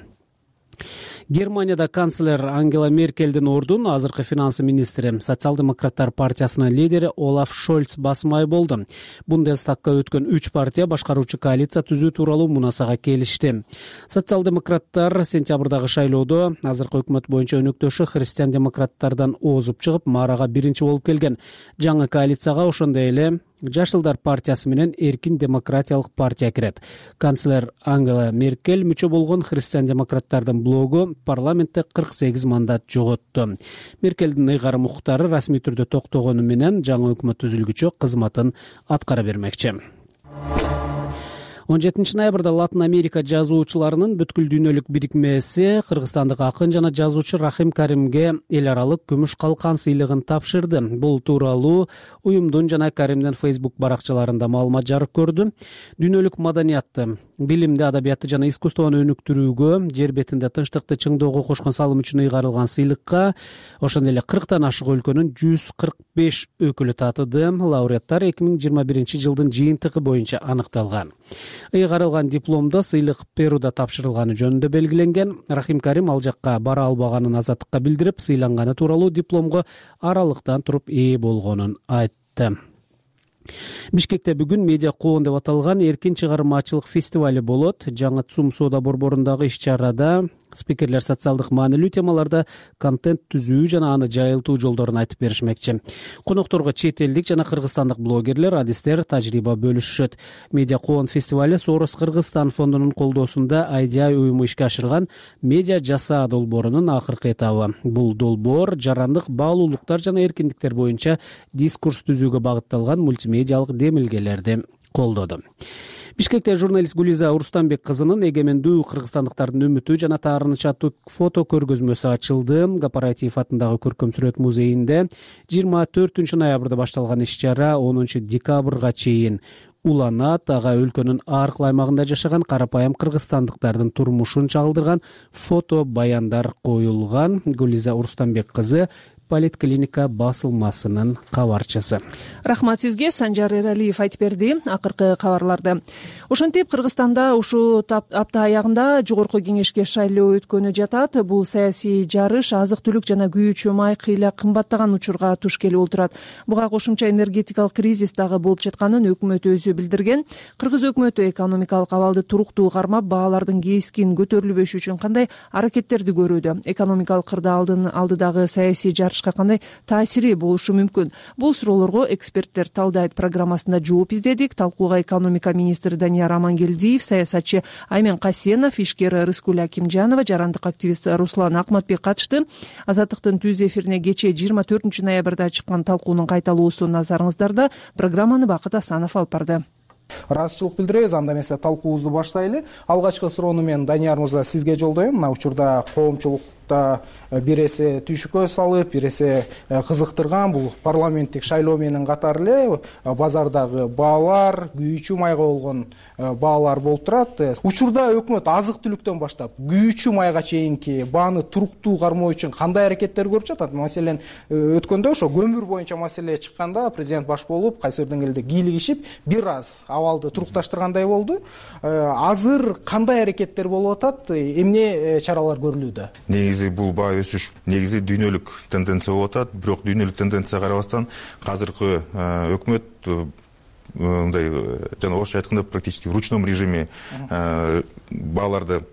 Германияда канцлер Ангела Меркельдин ордун азыркы финансы министри социал-демократтар партиясынын лидери Олаф Шольц басмай болду. Бундестагга өткөн үч партия башкаруучу коалиция түзүү тууралуу мунасага келишти. Социал-демократтар сентябрдагы шайлоодо азыркы өкмөт боюнча өнөктөшү христиан-демократтардан озуп чыгып, маарага биринчи болуп келген. Жаңы коалицияга ошондой эле Жашылдар партиясы менен Эркин демократиялык партия кирет. Канцлер Ангела Меркель мүчө болгон христиан-демократтардын блогу парламентте кырк сегиз мандат жоготту. Меркелдин ыйгарым укуктары расмий түрдө токтогону менен жаңы өкмөт түзүлгүчө кызматын аткара бермекчи. он жетинчи ноябрда Латын Америка жазуучуларынын бүткүл дүйнөлүк бирикмеси кыргызстандык акын жана жазуучу Рахим Каримге эл аралык күмүш калкан сыйлыгын тапшырды. Бул тууралуу уюмдун жана Каримдин Facebook баракчаларында маалымат жарык көрдү. Дүйнөлүк маданиятты, билимди, адабиятты жана искусствону өнүктүрүүгө, жер бетинде тынчтыкты чыңдоого кошкон салым үчүн ыйгарылган сыйлыкка ошондой эле кырктан ашык өлкөнүн жүз кырк беш өкүлү татыды. Лауреаттар эки миң жыйырма биринчи жылдын жыйынтыгы боюнча аныкталган. Ыйгарылган дипломдо сыйлык Перуда тапшырылганы жөнүндө белгиленген. Рахим Карим ал жакка бара албаганын Азаттыкка билдирип, сыйланганы тууралуу дипломго аралыктан туруп ээ болгонун айтты. Бишкекте бүгүн медиа коон деп аталган эркин чыгармачылык фестивале болот. Жаңы ЦУМ соода борборундагы иш-чарада спикерлер социалдык маанилүү темаларда контент түзүү жана аны жайылтуу жолдорун айтып беришмекчи. Конокторго чет элдик жана кыргызстандык блогерлер, адистер тажрыйба бөлүшүшөт. Медиа коон фестивале Сорос Кыргызстан фондунун колдоосунда Айдиай уюму ишке ашырган медиа жасаа долбоорунун акыркы этабы. Бул долбоор жарандык баалуулуктар жана эркиндиктер боюнча дискурс түзүүгө багытталган мультимедиалык демилгелерди колдоду. Бишкекте журналист Гулиза Урустамбек кызынын эгемендүү кыргызстандыктардын үмүтү жана таарыныч аттуу фото көргөзмөсү ачылды. Кооператив атындагы көркөм сүрөт музейинде жыйырма төртүнчү ноябрда башталган иш-чара онунчу декабрга чейин уланат. Ага өлкөнүн ар кыл аймагында жашаган карапайым кыргызстандыктардын турмушун чагылдырган фото баяндар коюлган. Гулиза Урустамбек кызы Политклиника басылмасынын кабарчысы. Рахмат сизге. Санжар Эралиев айтып берди акыркы кабарларды. Ошентип Кыргызстанда ушул апта аягында жогорку кеңешке шайлоо өткөнү жатат. Бул саясий жарыш азык-түлүк жана күйүүчү май кыйла кымбаттаган учурга туш келип отурат. Буга кошумча энергетикалык кризис дагы болуп жатканын өкмөт өзү билдирген. Кыргыз өкмөтү экономикалык абалды туруктуу кармап, баалардын кескин көтөрүлбөшү үчүн кандай аракеттерди көрүүдө? Экономикалык кырда алдыдагы саясий жарыш кандай таасири болушу мүмкүн? Бул суроолорго эксперттер талдайт программасында жооп издедик. Талкууга экономика министри Данияр Амангелдиев, саясатчы Аймен Касенов, ишкер Рыскүл Акимжанова, жарандык активист Руслан Акматбек катышты. Азаттыктын түз эфирине кечээ жыйырма төртүнчү ноябрда чыккан талкуунун кайталоосу назарыңыздарда. Программаны Бакыт Асанов алып барды. Ыраазычылык билдиребиз. Анда эмесе талкуубузду баштайлы. Алгачкы суроону мен Данияр мырза сизге жолдойм. Мына учурда коомчулукта бир эсе түйшүккө салып, бир эсе кызыктырган бул парламенттик шайлоо менен катар эле базардагы баалар, күйүүчү майга болгон баалар болуп турат. Учурда өкмөт азык-түлүктөн баштап күйүүчү майга чейинки бааны туруктуу кармоо үчүн кандай аракеттер көрүп жатат? Маселен, өткөндө ошо көмүр боюнча маселе чыкканда президент баш болуп, кайсы бир деңгээлде кийлигишип, бир аз абалды турукташтыргандай болду. Азыр кандай аракеттер болуп атат? Эмне чаралар көрүлүүдө? Негизи бул баа өсүш негизи дүйнөлүк тенденция болуп атат. Бирок дүйнөлүк тенденцияга карабастан азыркы өкмөт мындай жана орусча айтканда практически в ручном режиме бааларды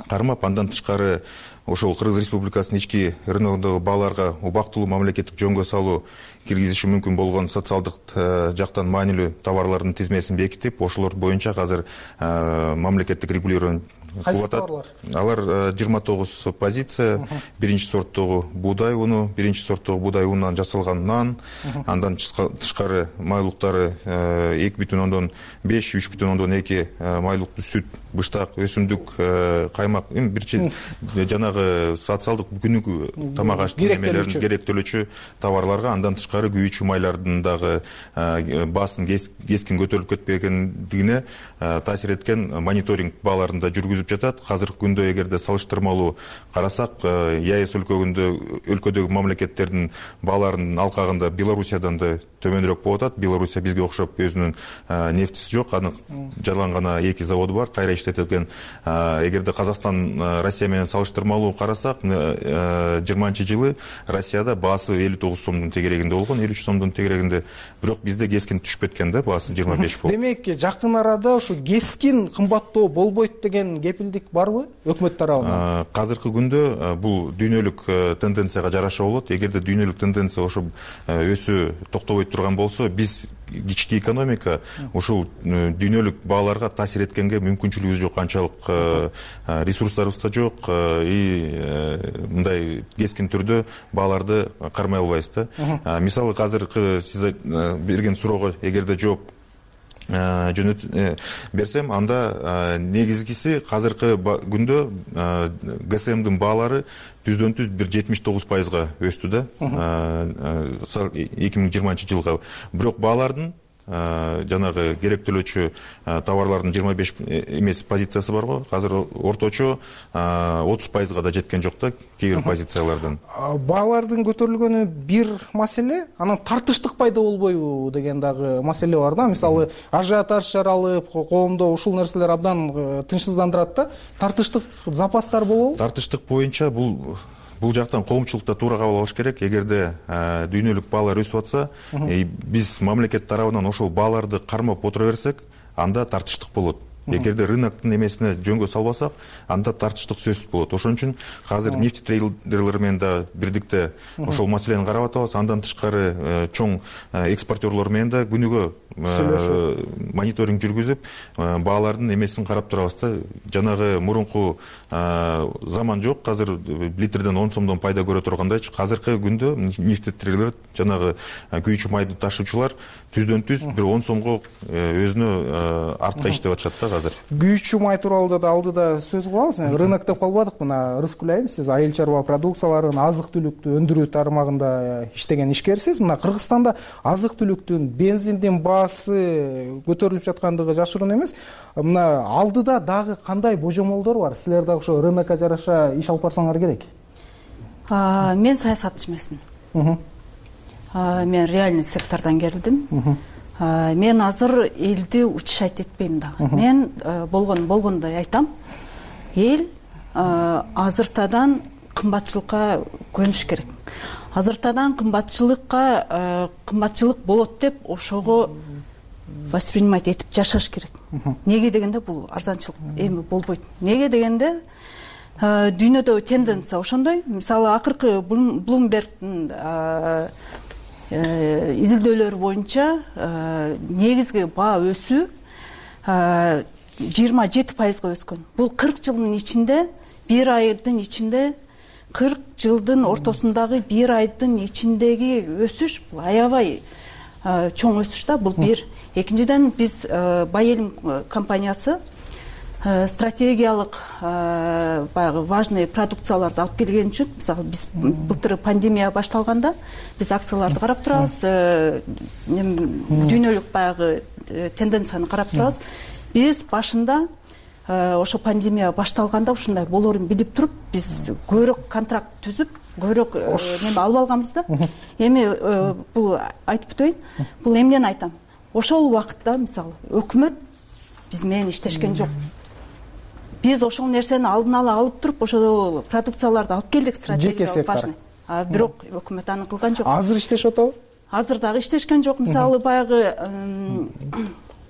кармап, андан тышкары ошол Кыргыз Республикасынын ички рыногундагы бааларга убактылуу мамлекеттик жөнгө салуу киргизиши мүмкүн болгон социалдык жактан маанилүү товарлардын тизмесин бекитип, ошолор боюнча азыр мамлекеттик регулирование кылып атат. Алар жыйырма тогуз позиция. Биринчи сорттогу буудай уну, биринчи сорттогу буудай унунан жасалган нан, андан тышкары майлыктары эки бүтүн ондон беш, үч бүтүн ондон эки майлыктуу сүт, быштак, өсүмдүк, каймак, бирчи жанагы социалдык күнүгү тамак аштын немелерин керектөлүүчү товарларга, андан тышкары күйүүчү майлардын дагы баасын кескин көтөрүлүп кетпегендигине таасир эткен мониторинг бааларында жүргүзүп жатат. Азыркы күндө эгерде салыштырмалуу карасак, ЕАЭС өлкөгүндө өлкөдөгү мамлекеттердин бааларынын алкагында Белоруссиядан да төмөнүрөөк болуп атат. Белоруссия бизге окшоп өзүнүн нефтиси жок, анын жалаң гана эки заводу бар, кайра иштетилген. Эгерде Казакстан Россия менен салыштырмалуу карасак, жыйырманчы жылы Россияда баасы элүү тогуз сомдун тегерегинде болгон, элүү үч сомдун тегерегинде. Бирок бизде кескин түшүп кеткен да, баасы жыйырма беш болуп. Демек, жакын арада ушу кескин кымбаттоо болбойт деген кепилдик барбы өкмөт тарабынан? Азыркы күндө бул дүйнөлүк тенденцияга жараша болот. Эгерде дүйнөлүк тенденция ошо өсүү токтобой турган болсо, биз кички экономика ушул дүйнөлүк бааларга таасир эткенге мүмкүнчүлүгүбүз жок, канчалык ресурстарыбыз да жок, и мындай кескин түрдө бааларды кармай албайбыз да. Мисалы, азыркы сиз берген суроого эгерде жооп жөнөт берсем, анда негизгиси азыркы күндө ГСМдин баалары түздөн түз бир жетимиш тогуз пайызга өстү да, эки миң жыйырманчы жылга. Бирок баалардын жанагы керектөлүүчү товарлардын жыйырма беш эмес позициясы бар го. Азыр орточо отуз пайызга да жеткен жок да кээ бир позициялардан. Баалардын көтөрүлгөнү бир маселе, анан тартыштык пайда болбойбу деген дагы маселе бар да. Мисалы, ажиотаж жаралып, коомдо ушул нерселер абдан тынчсыздандырат да. Тартыштык запастар болобу? Тартыштык боюнча бул бул жактан коомчулукта туура кабыл алыш керек. Эгерде дүйнөлүк баалар өсүп атса, биз мамлекет тарабынан ошол бааларды кармап отура берсек, анда тартыштык болот. Эгерде рыноктун эмесине жөнгө салбасак, анда тартыштык сөзсүз болот. Ошон үчүн азыр нефть трейдерлер менен да бирдикте ошол маселени карап атабыз. Андан тышкары чоң экспортерлор менен да күнүгө мониторинг жүргүзүп, баалардын эмесин карап турабыз да. Жанагы мурунку заман жок. Азыр литрден он сомдон пайда көрө тургандайчы. Азыркы күндө нефть трейдерлер жанагы күйүүчү майды ташуучулар түздөн түз бир он сомго өзүнө артка иштеп атышат да азыр. Күйүүчү май тууралуу да алдыда сөз кылабыз. Рынок деп калбадык. Мына Рыскүл айым, сиз айыл чарба продукцияларын, азык-түлүктү өндүрүү тармагында иштеген ишкерсиз. Мына Кыргызстанда азык-түлүктүн, бензиндин баасы көтөрүлүп жаткандыгы жашыруун эмес. Мына алдыда дагы кандай божомолдор бар? Силер дагы ошо рынокко жараша иш алып барсаңар керек. Мен саясатчы эмесмин. Мен реальный сектордон келдим. Мен азыр элди утешать этпейм дагы. Мен болгон болгондой айтам. Эл азыртадан кымбатчылыкка көнүш керек. Азыртадан кымбатчылыкка кымбатчылык болот деп ошого воспринимать этип жашаш керек. Неге дегенде бул арзанчылык эми болбойт. Неге дегенде дүйнөдөгү тенденция ошондой. Мисалы акыркы Bloomberg'дин изилдөөлөрү боюнча негизги баа өсүү жыйырма жети пайызга өскөн. Бул кырк жылдын ичинде, бир айдын ичинде, кырк жылдын ортосундагы бир айдын ичиндеги өсүш бул аябай чоң өсүш да. Бул бир. Экинчиден биз Байелим компаниясы стратегиялык баягы важный продукцияларды алып келген үчүн, мисалы биз былтыр пандемия башталганда биз акцияларды карап турабыз, дүйнөлүк баягы тенденцияны карап турабыз. Биз башында ошо пандемия башталганда ушундай болоорун билип туруп, биз көбүрөөк контракт түзүп, көбүрөөк неме алып алганбыз да. Эми бул айтып өтөйүн. Бул эмнени айтам? Ошол убакытта мисалы өкмөт биз менен иштешкен жок. Биз ошол нерсени алдын ала алып туруп, ошол продукцияларды алып келдик, стратегиялык важный. А бирок өкмөт аны кылган жок. Азыр иштешип атабы? Азыр дагы иштешкен жок. Мисалы баягы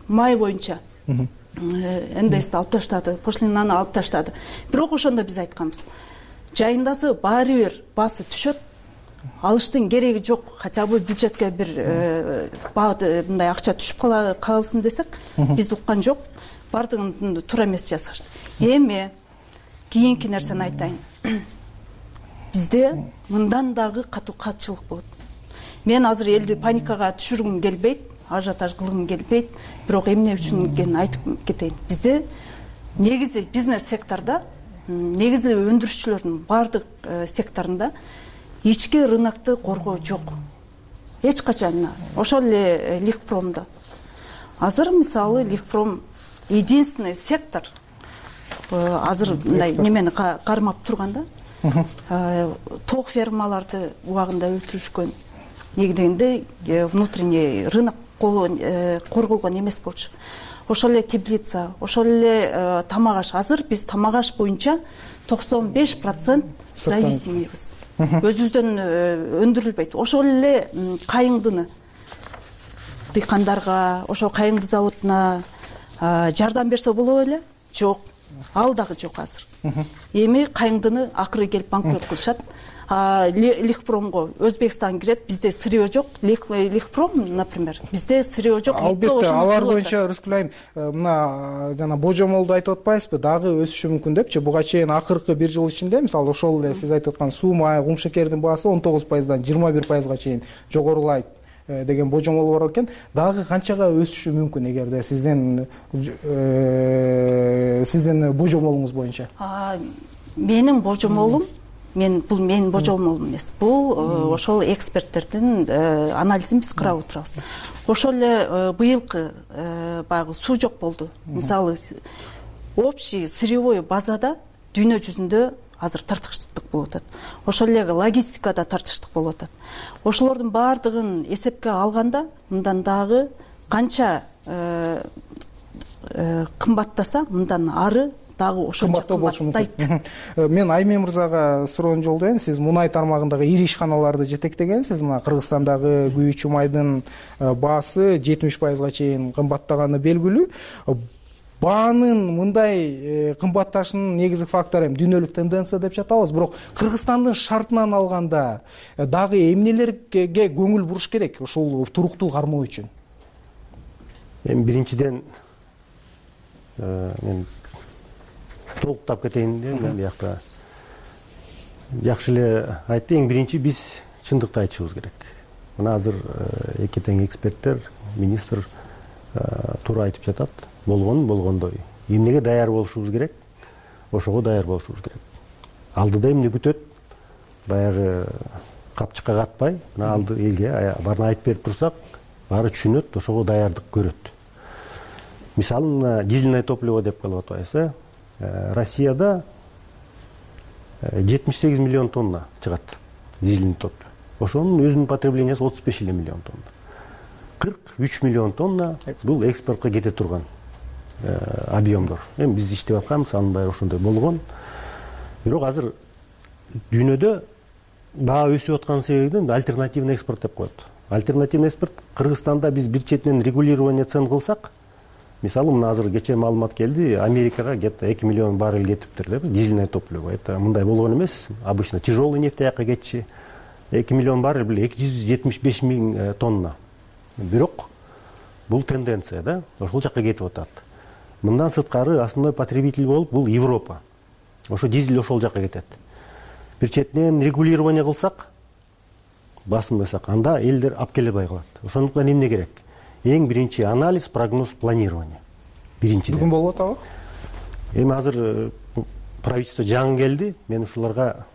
май боюнча эн дэ эсти алып таштады, пошлинаны алып таштады. Бирок ошондо биз айтканбыз. Жайындасы баары бир баасы түшөт. Алыштын кереги жок. Хотя бы бюджетке бир мындай акча түшүп калсын десек, бизди уккан жок. Бардыгын туура эмес жасашты. Эми кийинки нерсени айтайын. Бизде мындан дагы катуу катчылык болот. Мен азыр элди паникага түшүргүм келбейт, ажиотаж кылгым келбейт, бирок эмне үчүн экенин айтып кетейин. Бизде негизи бизнес секторда, негизи өндүрүшчүлөрдүн бардык секторунда ички рынокты коргоо жок. Эч качан. Ошол эле Лихпромдо. Азыр мисалы Лихпром единственный сектор азыр мындай немени кармап турганда, ток фермаларды убагында өлтүрүшкөн. Неге дегенде внутренний рынок корголгон эмес болчу. Ошол эле теплица, ошол эле тамак аш. Азыр биз тамак аш боюнча токсон беш процент зависимийбиз. Өзүбүздөн өндүрүлбөйт. Ошол эле кайыңдыны дыйкандарга, ошо кайыңды заводуна жардам берсе болобу эле? Жок. Ал дагы жок азыр. Эми кайыңдыны акыры келип банкрот кылышат. Лихпромго Өзбекстан кирет, бизде сырье жок. Лихпром, например, бизде сырье жок. Албетте, алар боюнча Рыскүл айым, мына жана божомолду айтып атпайсызбы, дагы өсүшү мүмкүн депчи. Буга чейин акыркы бир жыл ичинде, мисалы, ошол эле сиз айтып аткан суу май, кум шекердин баасы он тогуз пайыздан жыйырма бир пайызга чейин жогорулайт деген божомол бар экен. Дагы канчага өсүшү мүмкүн эгерде сиздин сиздин божомолуңуз боюнча? Менин божомолум, мен бул менин божомолум эмес. Бул ошол эксперттердин анализин биз карап отурабыз. Ошол эле быйылкы баягы суу жок болду. Мисалы, общий сырьевой базада дүйнө жүзүндө азыр тартыштык болуп атат. Ошол эле логистикада тартыштык болуп атат. Ошолордун баардыгын эсепке алганда, мындан дагы канча кымбаттаса, мындан ары дагы ошончо кымбаттайт. Мен Айме мырзага суроону жолдойм. Сиз мунай тармагындагы ири ишканаларды жетектегенсиз. Мына Кыргызстандагы күйүүчү майдын баасы жетимиш пайызга чейин кымбаттаганы белгилүү. Баанын мындай кымбатташынын негизги фактору эми дүйнөлүк тенденция деп жатабыз, бирок Кыргызстандын шартынан алганда дагы эмнелерге көңүл буруш керек ушул туруктуу кармоо үчүн? Эми биринчиден мен толуктап кетейин деп мен биякта жакшы эле айтты. Эң биринчи биз чындыкты айтышыбыз керек. Мына азыр эки тең эксперттер, министр туура айтып жатат. Болгон болгондой. Эмнеге даяр болушубуз керек? Ошого даяр болушубуз керек. Алдыда эмне күтөт? Баягы капчыкка катпай, мына алды элге баарын айтып берип турсак, баары түшүнөт, ошого даярдык көрөт. Мисалы, мына дизельное топливо деп коюп атабыз. Россияда жетимиш сегиз миллион тонна чыгат дизельный топливо. Ошонун өзүнүн потреблениясы отуз беш эле миллион тонна. кырк үч миллион тонна бул экспортко кете турган объемдор. Эми биз иштеп атканбыз, анын баары ошондой болгон. Бирок азыр дүйнөдө баа өсүп аткан себебинен альтернативный экспорт деп коет. Альтернативный экспорт Кыргызстанда биз бир четинен регулирование цен кылсак, мисалы, мына азыр кечээ маалымат келди, Америкага где-то эки миллион баррель кетиптир деп, дизельное топливо. Это мындай болгон эмес. Обычно тяжелый нефть аяка кетчи. эки миллион баррель бул эки жүз жетимиш беш миң тонна. Бирок бул тенденция, да, ошол жакка кетип атат. Мындан сырткары основной потребитель болуп бул Европа. Ошо дизель ошол жакка кетет. Бир четинен регулирование кылсак, басынбасак, анда элдер алып келе албай калат. Ошондуктан эмне керек? Эң биринчи анализ, прогноз, планирование. Биринчиден. Бүгүн болуп атабы? Эми азыр правительство жаңы келди. Мен ушуларга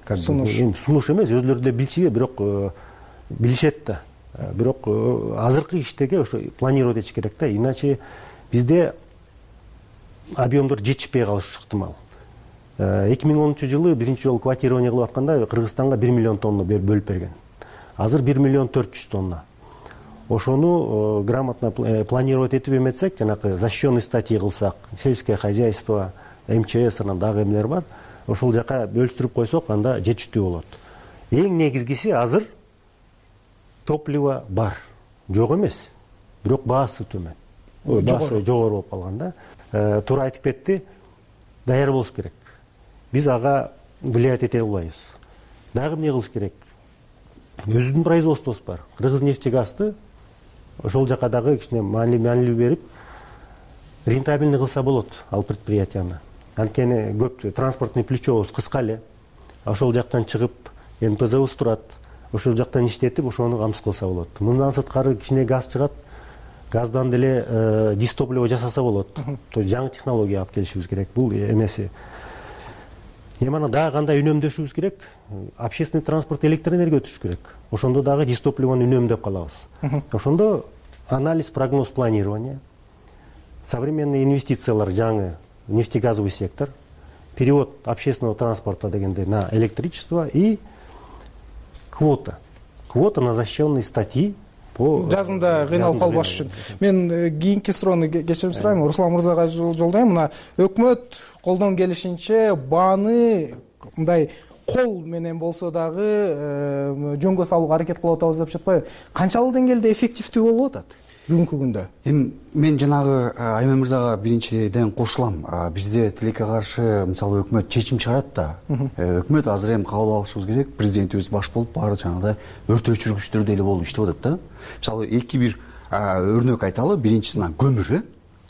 как бы сунуш эмес, өзүлөрү да билчү, бирок билишет да. Бирок азыркы иштеге ошо планировать этиш керек да, иначе бизде объемдор жетишпей калышы ыктымал. эки миң онунчу жылы биринчи жолу квотирование кылып атканда Кыргызстанга бир миллион тонна бөлүп берген. Азыр бир миллион төрт жүз тонна. Ошону грамотно планировать этип эметсек, жанакы защищенный статьи кылсак, сельское хозяйство, эм че эс анан дагы эмелер бар, ошол жака бөлүштүрүп койсок, анда жетиштүү болот. Эң негизгиси азыр топливо бар, жок эмес, бирок баасы төмөн. Баасы жогору болуп калган да. Туура айтып кетти, даяр болуш керек. Биз ага влиять эте албайбыз. Дагы эмне кылыш керек? Өзүбүздүн производствобуз бар. Кыргызнефтегазды ошол жака дагы кичине маанилүү берип, рентабельный кылса болот ал предприятияны. Анткени көп транспортный плечобуз кыска эле. Ошол жактан чыгып, эн пэ зэбиз турат. Ошол жактан иштетип, ошону камсыз кылса болот. Мындан сырткары кичине газ чыгат. Газдан деле дистопливо жасаса болот. То жаңы технология алып келишибиз керек. Бул эмеси. Эми ана дагы кандай үнөмдөшүбүз керек? Общественный транспорт электроэнергия өтүш керек. Ошондо дагы дистопливону үнөмдөп калабыз. Ошондо анализ, прогноз, планирование, современный инвестициялар жаңы нефтегазовый сектор, перевод общественного транспорта дегенде на электричество и квота. Квота на защищенные статьи по жазында кыйналып калбаш үчүн. Мен кийинки суроону кечирим сурайм, Руслан мырзага жолдойм. Мына өкмөт колдон келишинче бааны мындай кол менен болсо дагы жөнгө салууга аракет кылып атабыз деп жатпайбы? Канчалык деңгээлде эффективдүү болуп атат бүгүнкү күндө? Эми мен жанагы Айме мырзага биринчиден кошулам. Бизде тилекке каршы мисалы өкмөт чечим чыгарат да. Өкмөт азыр эми кабыл алышыбыз керек. Президентибиз баш болуп баары жанагыдай өрт өчүргүчтөр деле болуп иштеп атат да. Мисалы эки бир өрнөк айталы. Биринчиси көмүр,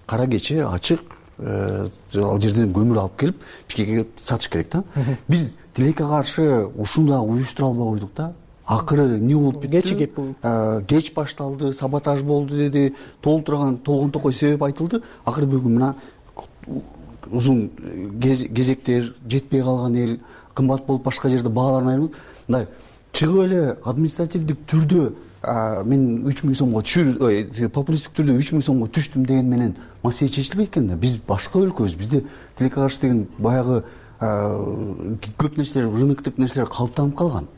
кара кече ачык ал жерден көмүр алып келип Бишкекке сатыш керек да. Биз тилекке каршы ушундагы уюштура албай койдук да. Акыры эмне болуп кетти? Кеч кеп кеч башталды, саботаж болду деди, толтурган толгон токой себеп айтылды. Акыры бүгүн мына узун кезектер, жетпей калган эл, кымбат болуп башка жерде бааларын айырылып, мындай чыгып эле административдик түрдө мен үч миң сомго түшүр, популисттик түрдө үч миң сомго түштүм деген менен маселе чечилбейт экен да. Биз башка өлкөбүз, бизде тилекке каршы деген баягы көп нерселер, рыноктук нерселер калыптанып калган.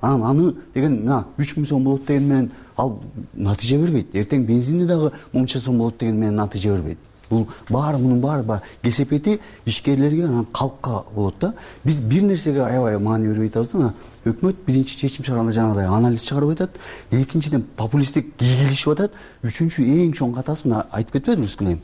Анан аны деген мына үч миң сом болот деген менен ал натыйжа бербейт. Эртең бензинди дагы мынча сом болот деген менен натыйжа бербейт. бул баары мунун баары баягы кесепети ишкерлерге анан калкка болот да. Биз бир нерсеге аябай маани бербей атабыз да. Өкмөт биринчи чечим чыгарганда жанагыдай анализ чыгарып атат, экинчиден популисттик кийгилишип атат, үчүнчү эң чоң катасы мына айтып кетпедибизби Кылайм?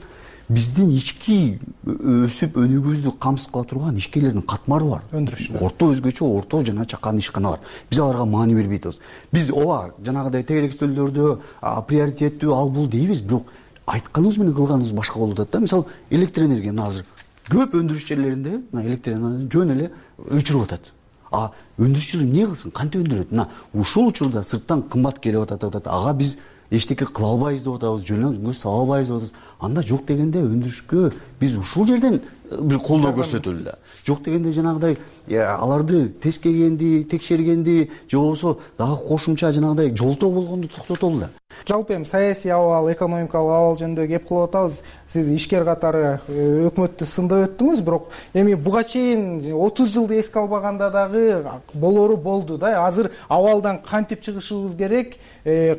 Биздин ички өсүп өнүгүүбүздү камсыз кыла турган ишкерлердин катмары бар. Өндүрүшчүлөр. Орто өзгөчө, орто жана чакан ишкана бар. Биз аларга маани бербей атабыз. Биз ооба жанагыдай тегерек стөлдөрдө приоритеттүү ал бул дейбиз, бирок айтканыбыз менен кылганыбыз башка болуп атат да. Мисалы, электр энергия азыр көп өндүрүш жерлеринде электр энергия жөн эле өчүрүп атат. А өндүрүшчүлөр эмне кылсын, кантип өндүрөт? Мына ушул учурда сырттан кымбат келип атат, ага биз эчтеке кыла албайбыз деп атабыз, жөнөкөй сала албайбыз деп атабыз. Анда жок дегенде өндүрүшкө биз ушул жерден бир колдоо көрсөтөлү да. Жок дегенде жанагыдай аларды тескегенди, текшергенди, же болбосо дагы кошумча жанагыдай жолтоо болгонду токтотолу да. Жалпы эми саясий абал, экономикалык абал жөнүндө кеп кылып атабыз. Сиз ишкер катары өкмөттү сындап өттүңүз, бирок эми буга чейин отуз жылды эске албаганда дагы болору болду да. Азыр абалдан кантип чыгышыбыз керек,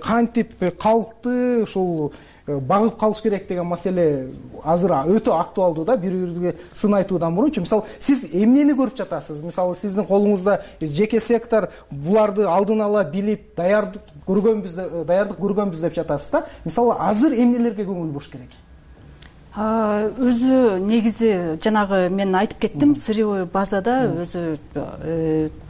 кантип калкты ушул багып калыш керек деген маселе азыр өтө актуалдуу да. Бири-бирибизге сын айтуудан мурунчу, мисалы, сиз эмнени көрүп жатасыз? Мисалы, сиздин колуңузда жеке сектор буларды алдын ала билип, даярдык көргөнбүз, даярдык көргөнбүз деп жатасыз да. Мисалы, азыр эмнелерге көңүл буруш керек? Өзү негизи жанагы мен айтып кеттим, сырьевой базада өзү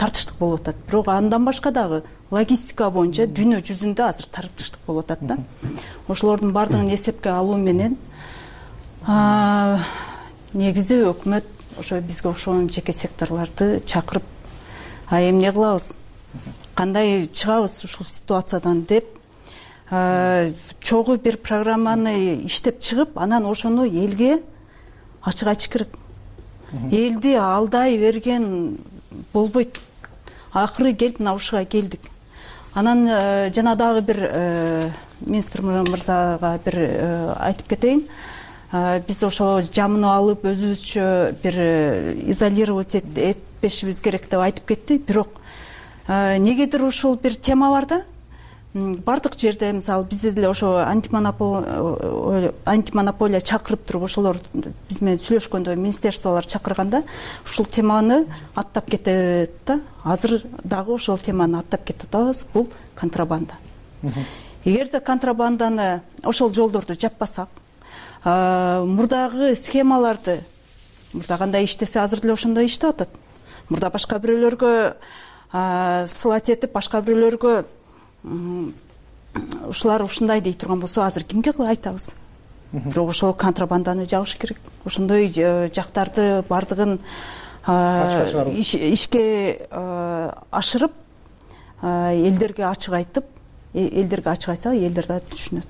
тартыштык болуп атат. Бирок андан башка дагы логистика боюнча дүйнө жүзүндө азыр тартыштык болуп атат да. Ошолордун баардыгын эсепке алуу менен негизи өкмөт ошо бизге ошон жеке секторлорду чакырып, а эмне кылабыз, кандай чыгабыз ушул ситуациядан деп чогуу бир программаны иштеп чыгып, анан ошону элге ачык айтыш керек. Элди алдай берген болбойт. Акыры келип мына ушуга келдик. Анан жана дагы бир министр мырзага бир айтып кетейин. Биз ошо жамынып алып өзүбүзчө бир изолировать этпешибиз керек деп айтып кетти. Бирок негедир ушул бир тема бар да. Бардык жерде, мисалы, бизде деле ошо антимонополия чакырып туруп, ошолор биз менен сүйлөшкөндө, министерстволор чакырганда ушул теманы аттап кетет да. Азыр дагы ошол теманы аттап кетип атабыз. Бул контрабанда. Эгерде контрабанданы, ошол жолдорду жаппасак, мурдагы схемаларды, мурда кандай иштесе азыр деле ошондой иштеп атат. Мурда башка бирөөлөргө сылат этип, башка бирөөлөргө ушулар ушундай дей турган болсо, азыр кимге айтабыз? Бирок ошол контрабанданы жабыш керек. Ошондой жактарды бардыгын ишке ашырып, элдерге ачык айтып, элдерге ачык айтса, элдер да түшүнөт.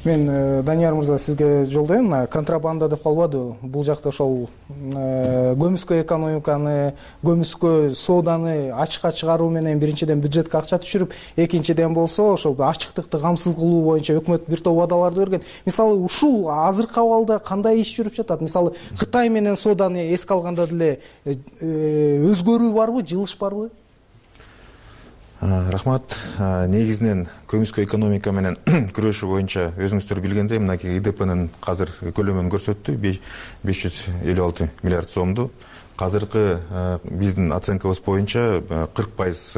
Мен Данияр мырза сизге жолдойм. Контрабанда деп калбады. Бул жакта ошол көмүскө экономиканы, көмүскө сооданы ачыкка чыгаруу менен биринчиден бюджетке акча түшүрүп, экинчиден болсо ошол ачыктыкты камсыз кылуу боюнча өкмөт бир топ убадаларды берген. Мисалы, ушул азыркы абалда кандай иш жүрүп жатат? Мисалы, Кытай менен сооданы эске алганда деле өзгөрүү барбы, жылыш барбы? Рахмат. Негизинен көмүскө экономика менен күрөшүү боюнча өзүңүздөр билгендей, мынакей ИДПнын азыр көлөмүн көрсөттү, беш жүз элүү алты миллиард сомду. Азыркы биздин оценкабыз боюнча кырк пайыз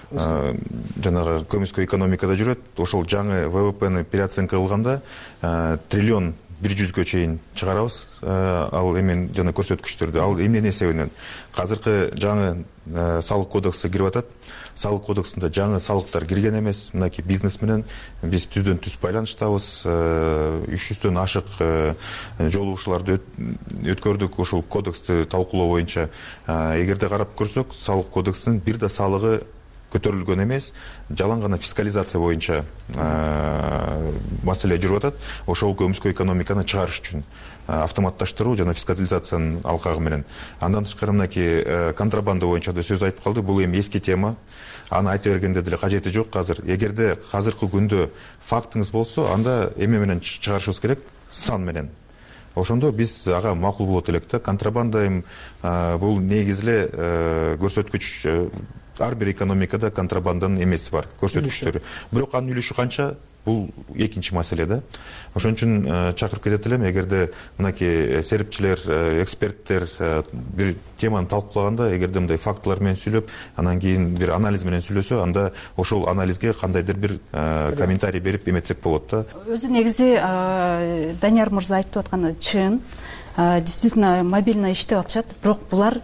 жанагы көмүскө экономикада жүрөт. Ошол жаңы ВВПны переоценка кылганда триллион бир жүзгө чейин чыгарабыз. Ал эмен жана көрсөткүчтөрдү. Ал эмненин эсебинен? Азыркы жаңы салык кодекси кирип атат. Салык кодексинде жаңы салыктар кирген эмес. Мынакей бизнес менен биз түздөн түз байланыштабыз. үч жүздөн ашык жолугушууларды өткөрдүк ушул кодексти талкуулоо боюнча. Эгерде карап көрсөк, салык кодексинин бир да салыгы көтөрүлгөн эмес, жалаң гана фискализация боюнча маселе жүрүп атат. Ошол көмүскө экономиканы чыгарыш үчүн автоматташтыруу жана фискализациянын алкагы менен. Андан тышкары мынакей контрабанда боюнча да сөз айтып калды. Бул эми эски тема. Аны айта бергенде деле кажети жок азыр. Эгерде азыркы күндө фактыңыз болсо, анда эме менен чыгарышыбыз керек, сан менен. Ошондо биз ага макул болот элек да. Контрабанда эми бул негизи эле көрсөткүч ар бир экономикада контрабанданын эмеси бар, көрсөткүчтөрү. Бирок анын үлүшү канча, бул экинчи маселе да. Ошон үчүн чакырып кетет элем, эгерде мынакей серипчилер, эксперттер бир теманы талкуулаганда, эгерде мындай фактылар менен сүйлөп, анан кийин бир анализ менен сүйлөсө, анда ошол анализге кандайдыр бир комментарий берип эметсек болот да. Өзү негизи Данияр мырза айтып атканы чын, действительно мобильно иштеп атышат, бирок булар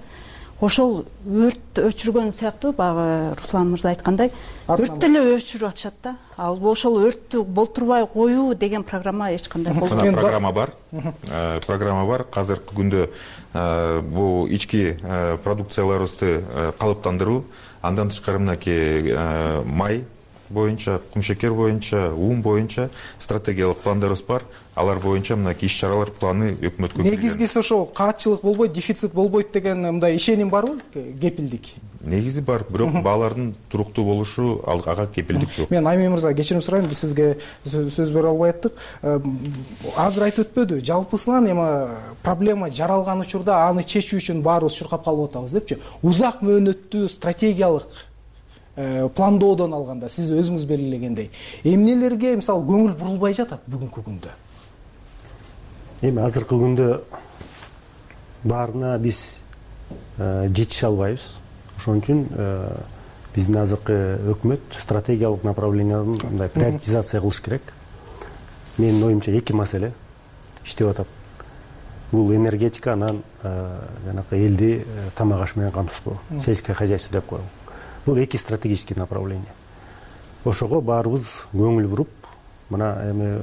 ошол өрт өчүргөн сыяктуу, баягы Руслан мырза айткандай, өрттү эле өчүрүп атышат да. Ал ошол өрттү болтурбай коюу деген программа эч кандай болбойт. Программа бар. Программа бар. Азыркы күндө бул ички продукцияларыбызды калыптандыруу, андан тышкары мынакей май боюнча, кумшекер боюнча, ун боюнча стратегиялык пландарыбыз бар. Алар боюнча мынакей иш-чаралар планы өкмөткө кирген. Негизгиси ошо каатчылык болбойт, дефицит болбойт деген мындай ишеним барбы? Кепилдик. Негизи бар, бирок баалардын туруктуу болушу ага кепилдик жок. Мен Аймен мырза кечирим сурайм, биз сизге сөз бере албай аттык. Азыр айтып өтпөдү, жалпысынан эми проблема жаралган учурда аны чечүү үчүн баарыбыз чуркап калып атабыз депчи. Узак мөөнөттүү стратегиялык пландоодон алганда сиз өзүңүз белгилегендей эмнелерге мисалы көңүл бурулбай жатат бүгүнкү күндө? Эми азыркы күндө баарына биз жетише албайбыз. Ошон үчүн биздин азыркы өкмөт стратегиялык направлениянын мындай приоритизация кылыш керек. Менин оюмча эки маселе иштеп атат. Бул энергетика, анан жанакы элди тамак аш менен камсыздоо, сельское хозяйство деп коелу. Бул эки стратегический направление. Ошого баарыбыз көңүл буруп, мына эми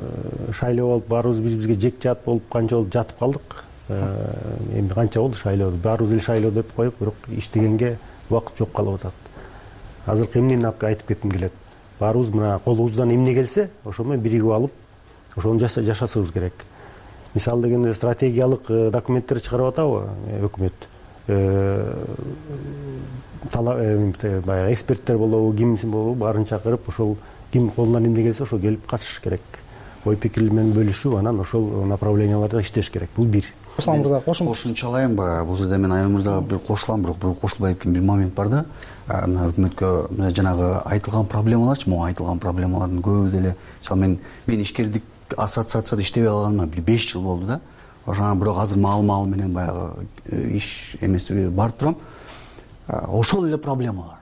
шайлоо болуп, баарыбыз биз-бизге жек жат болуп, канча болуп жатып калдык. Эми канча болду шайлоо? Баарыбыз эле шайлоо деп коюп, бирок иштегенге убакыт жок калып атат. Азыркы эмнени айтып кетким келет. Баарыбыз мына колубуздан эмне келсе, ошо менен биригип алып, ошону жашасыбыз керек. Мисалы дегенде стратегиялык документтер чыгарып атабы өкмөт? Баягы эксперттер болобу, кимсин болобу, баарын чакырып, ошол ким колунан эмне келсе ошо келип катышыш керек. Ой пикир менен бөлүшүп, анан ошол направленияларда иштеш керек. Бул бир. Руслан мырза, кошумчалайынбы? Бул жерде мен Аймен мырзага бир кошулам, бирок бир кошулбай кеткен бир момент бар да. Мына өкмөткө жанагы айтылган проблемаларчы, могу айтылган проблемалардын көбү деле, мисалы мен мен ишкердик ассоциацияда иштебей калганыма бир беш жыл болду да. Ошондо бирок азыр маал-маал менен баягы иш эмеси барып турам. Ошол эле проблемалар.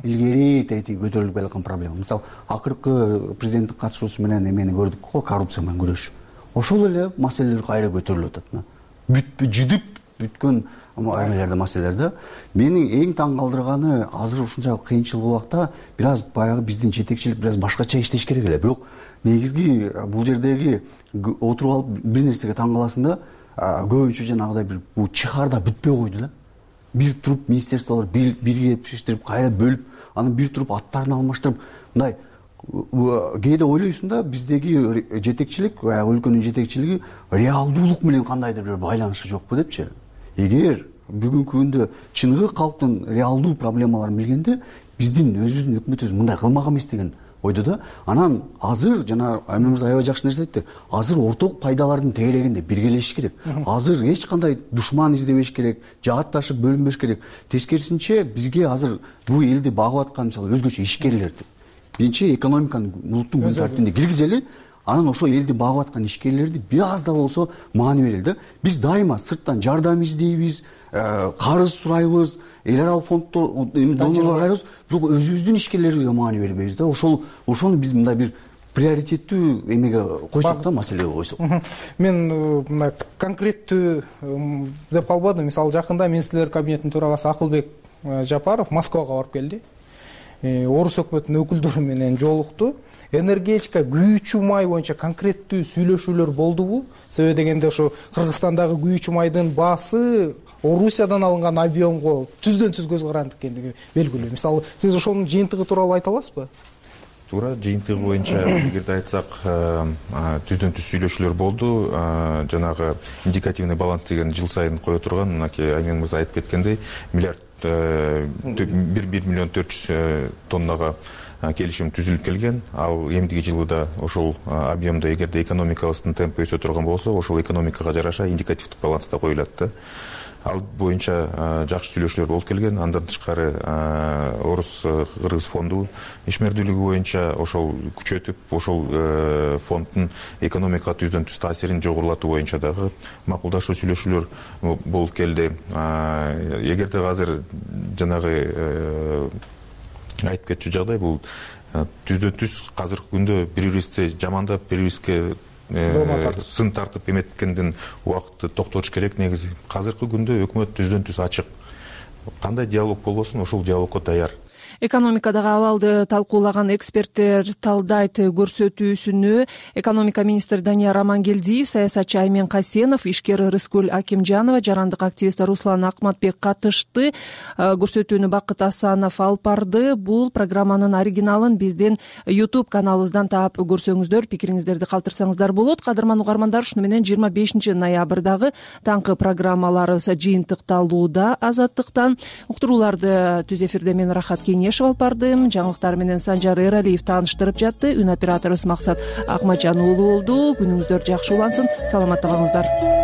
Илгери тетиги көтөрүлүп келаткан проблема. Мисалы, акыркы президенттин катышуусу менен эмени көрдүк го, коррупция менен күрөш. Ошол эле маселелер кайра көтөрүлүп атат. Бүтпү жидип бүткөн эмелерде маселелер да. Мени эң таң калтырганы азыр ушунча кыйынчылык убакта бир аз баягы биздин жетекчилик бир аз башкача иштеш керек эле. Бирок негизги бул жердеги отуруп алып бир нерсеге таң каласың да, көбүнчө жанагыдай бир бул чыхарда бүтпөй койду да. Бир туруп министерстволор бирге иштирип, кайра бөлүп, анан бир туруп аттарын алмаштырып, мындай кээде ойлойсуң да, биздеги жетекчилик, өлкөнүн жетекчилиги реалдуулук менен кандайдыр бир байланышы жокпу депчи. Эгер бүгүнкү күндө чыныгы калктын реалдуу проблемаларын билгенде, биздин өзүбүздүн өкмөтүбүз мындай кылмак эмес деген ойду да. Анан азыр жана Аймен мырза аябай жакшы нерсе айтты. Азыр орток пайдалардын тегерегинде биргелешиш керек. Азыр эч кандай душман издебеш керек, жаатташып бөлүнбөш керек. Тескерисинче бизге азыр бул элди багып аткан мисалы өзгөчө ишкерлерди. Биринчи экономиканын улуттун күн тартибине киргизели, анан ошо элди багып аткан ишкерлерди бир аз да болсо маани берели да. Биз дайыма сырттан жардам издейбиз, карыз сурайбыз, эл аралык фонддор, донорлорго кайрыбыз, бирок өзүбүздүн ишкерлерибизге маани бербейбиз да. Ошол ошону биз мындай бир приоритеттүү эмеге койсок да, маселеге койсок. Мен мына конкреттүү деп калбадым. Мисалы жакында министрлер кабинетинин төрагасы Акылбек Жапаров Москвага барып келди. Орус өкмөтүнүн өкүлдөрү менен жолукту. Энергетика, күйүүчү май боюнча конкреттүү сүйлөшүүлөр болдубу? Себеби дегенде ошо Кыргызстандагы күйүүчү майдын баасы Орусиядан алынган объемго түздөн түз көз каранды экендиги белгилүү. Мисалы, сиз ошонун жыйынтыгы тууралуу айта аласызбы? Туура, жыйынтыгы боюнча эгерде айтсак, түздөн түз сүйлөшүүлөр болду. Жанагы индикативный баланс деген жыл сайын кое турган, мынакей Аймен мырза айтып кеткендей, миллиард бир миллион төрт жүз тоннага келишим түзүлүп келген. Ал эмдиги жылы да ошол объемда эгерде экономикабыздын темпи өсө турган болсо, ошол экономикага жараша индикативдик баланста коюлат да. ал боюнча жакшы сүйлөшүүлөр болуп келген. Андан тышкары орус кыргыз фонду ишмердүүлүгү боюнча ошол күчөтүп, ошол фонддун экономикага түздөн түз таасирин жогорулатуу боюнча дагы макулдашуу сүйлөшүүлөр болуп келди. Эгерде азыр жанагы айтып кетчү жагдай бул түздөн түз азыркы күндө бири бирибизди жамандап, бири бирибизге сын тартып эметкенден убакытты токтотуш керек. Негизи азыркы күндө өкмөт түздөн түз ачык, кандай диалог болбосун ошол диалогко даяр. Экономикадагы абалды талкуулаган эксперттер талдайт. Көрсөтүүсүнө экономика министри Данияр Амангелдиев, саясатчы Аймен Касенов, ишкер Рыскүл Акимжанова, жарандык активист Руслан Акматбек катышты. Көрсөтүүнү Бакыт Асанов алып барды. Бул программанын оригиналын биздин YouTube каналыбыздан таап көрсөңүздөр, пикириңиздерди калтырсаңыздар болот. Кадырман угармандар, ушуну менен жыйырма бешинчи ноябрдагы таңкы программаларыбыз жыйынтыкталууда. Азаттыктан уктурууларды түз эфирде мен Рахат Кеңешев алып бардым. Жаңылыктар менен Санжар Эралиев тааныштырып жатты. Үн операторубуз Максат Акмажан уулу болду. Күнүңүздөр жакшы улансын. Саламатта калыңыздар.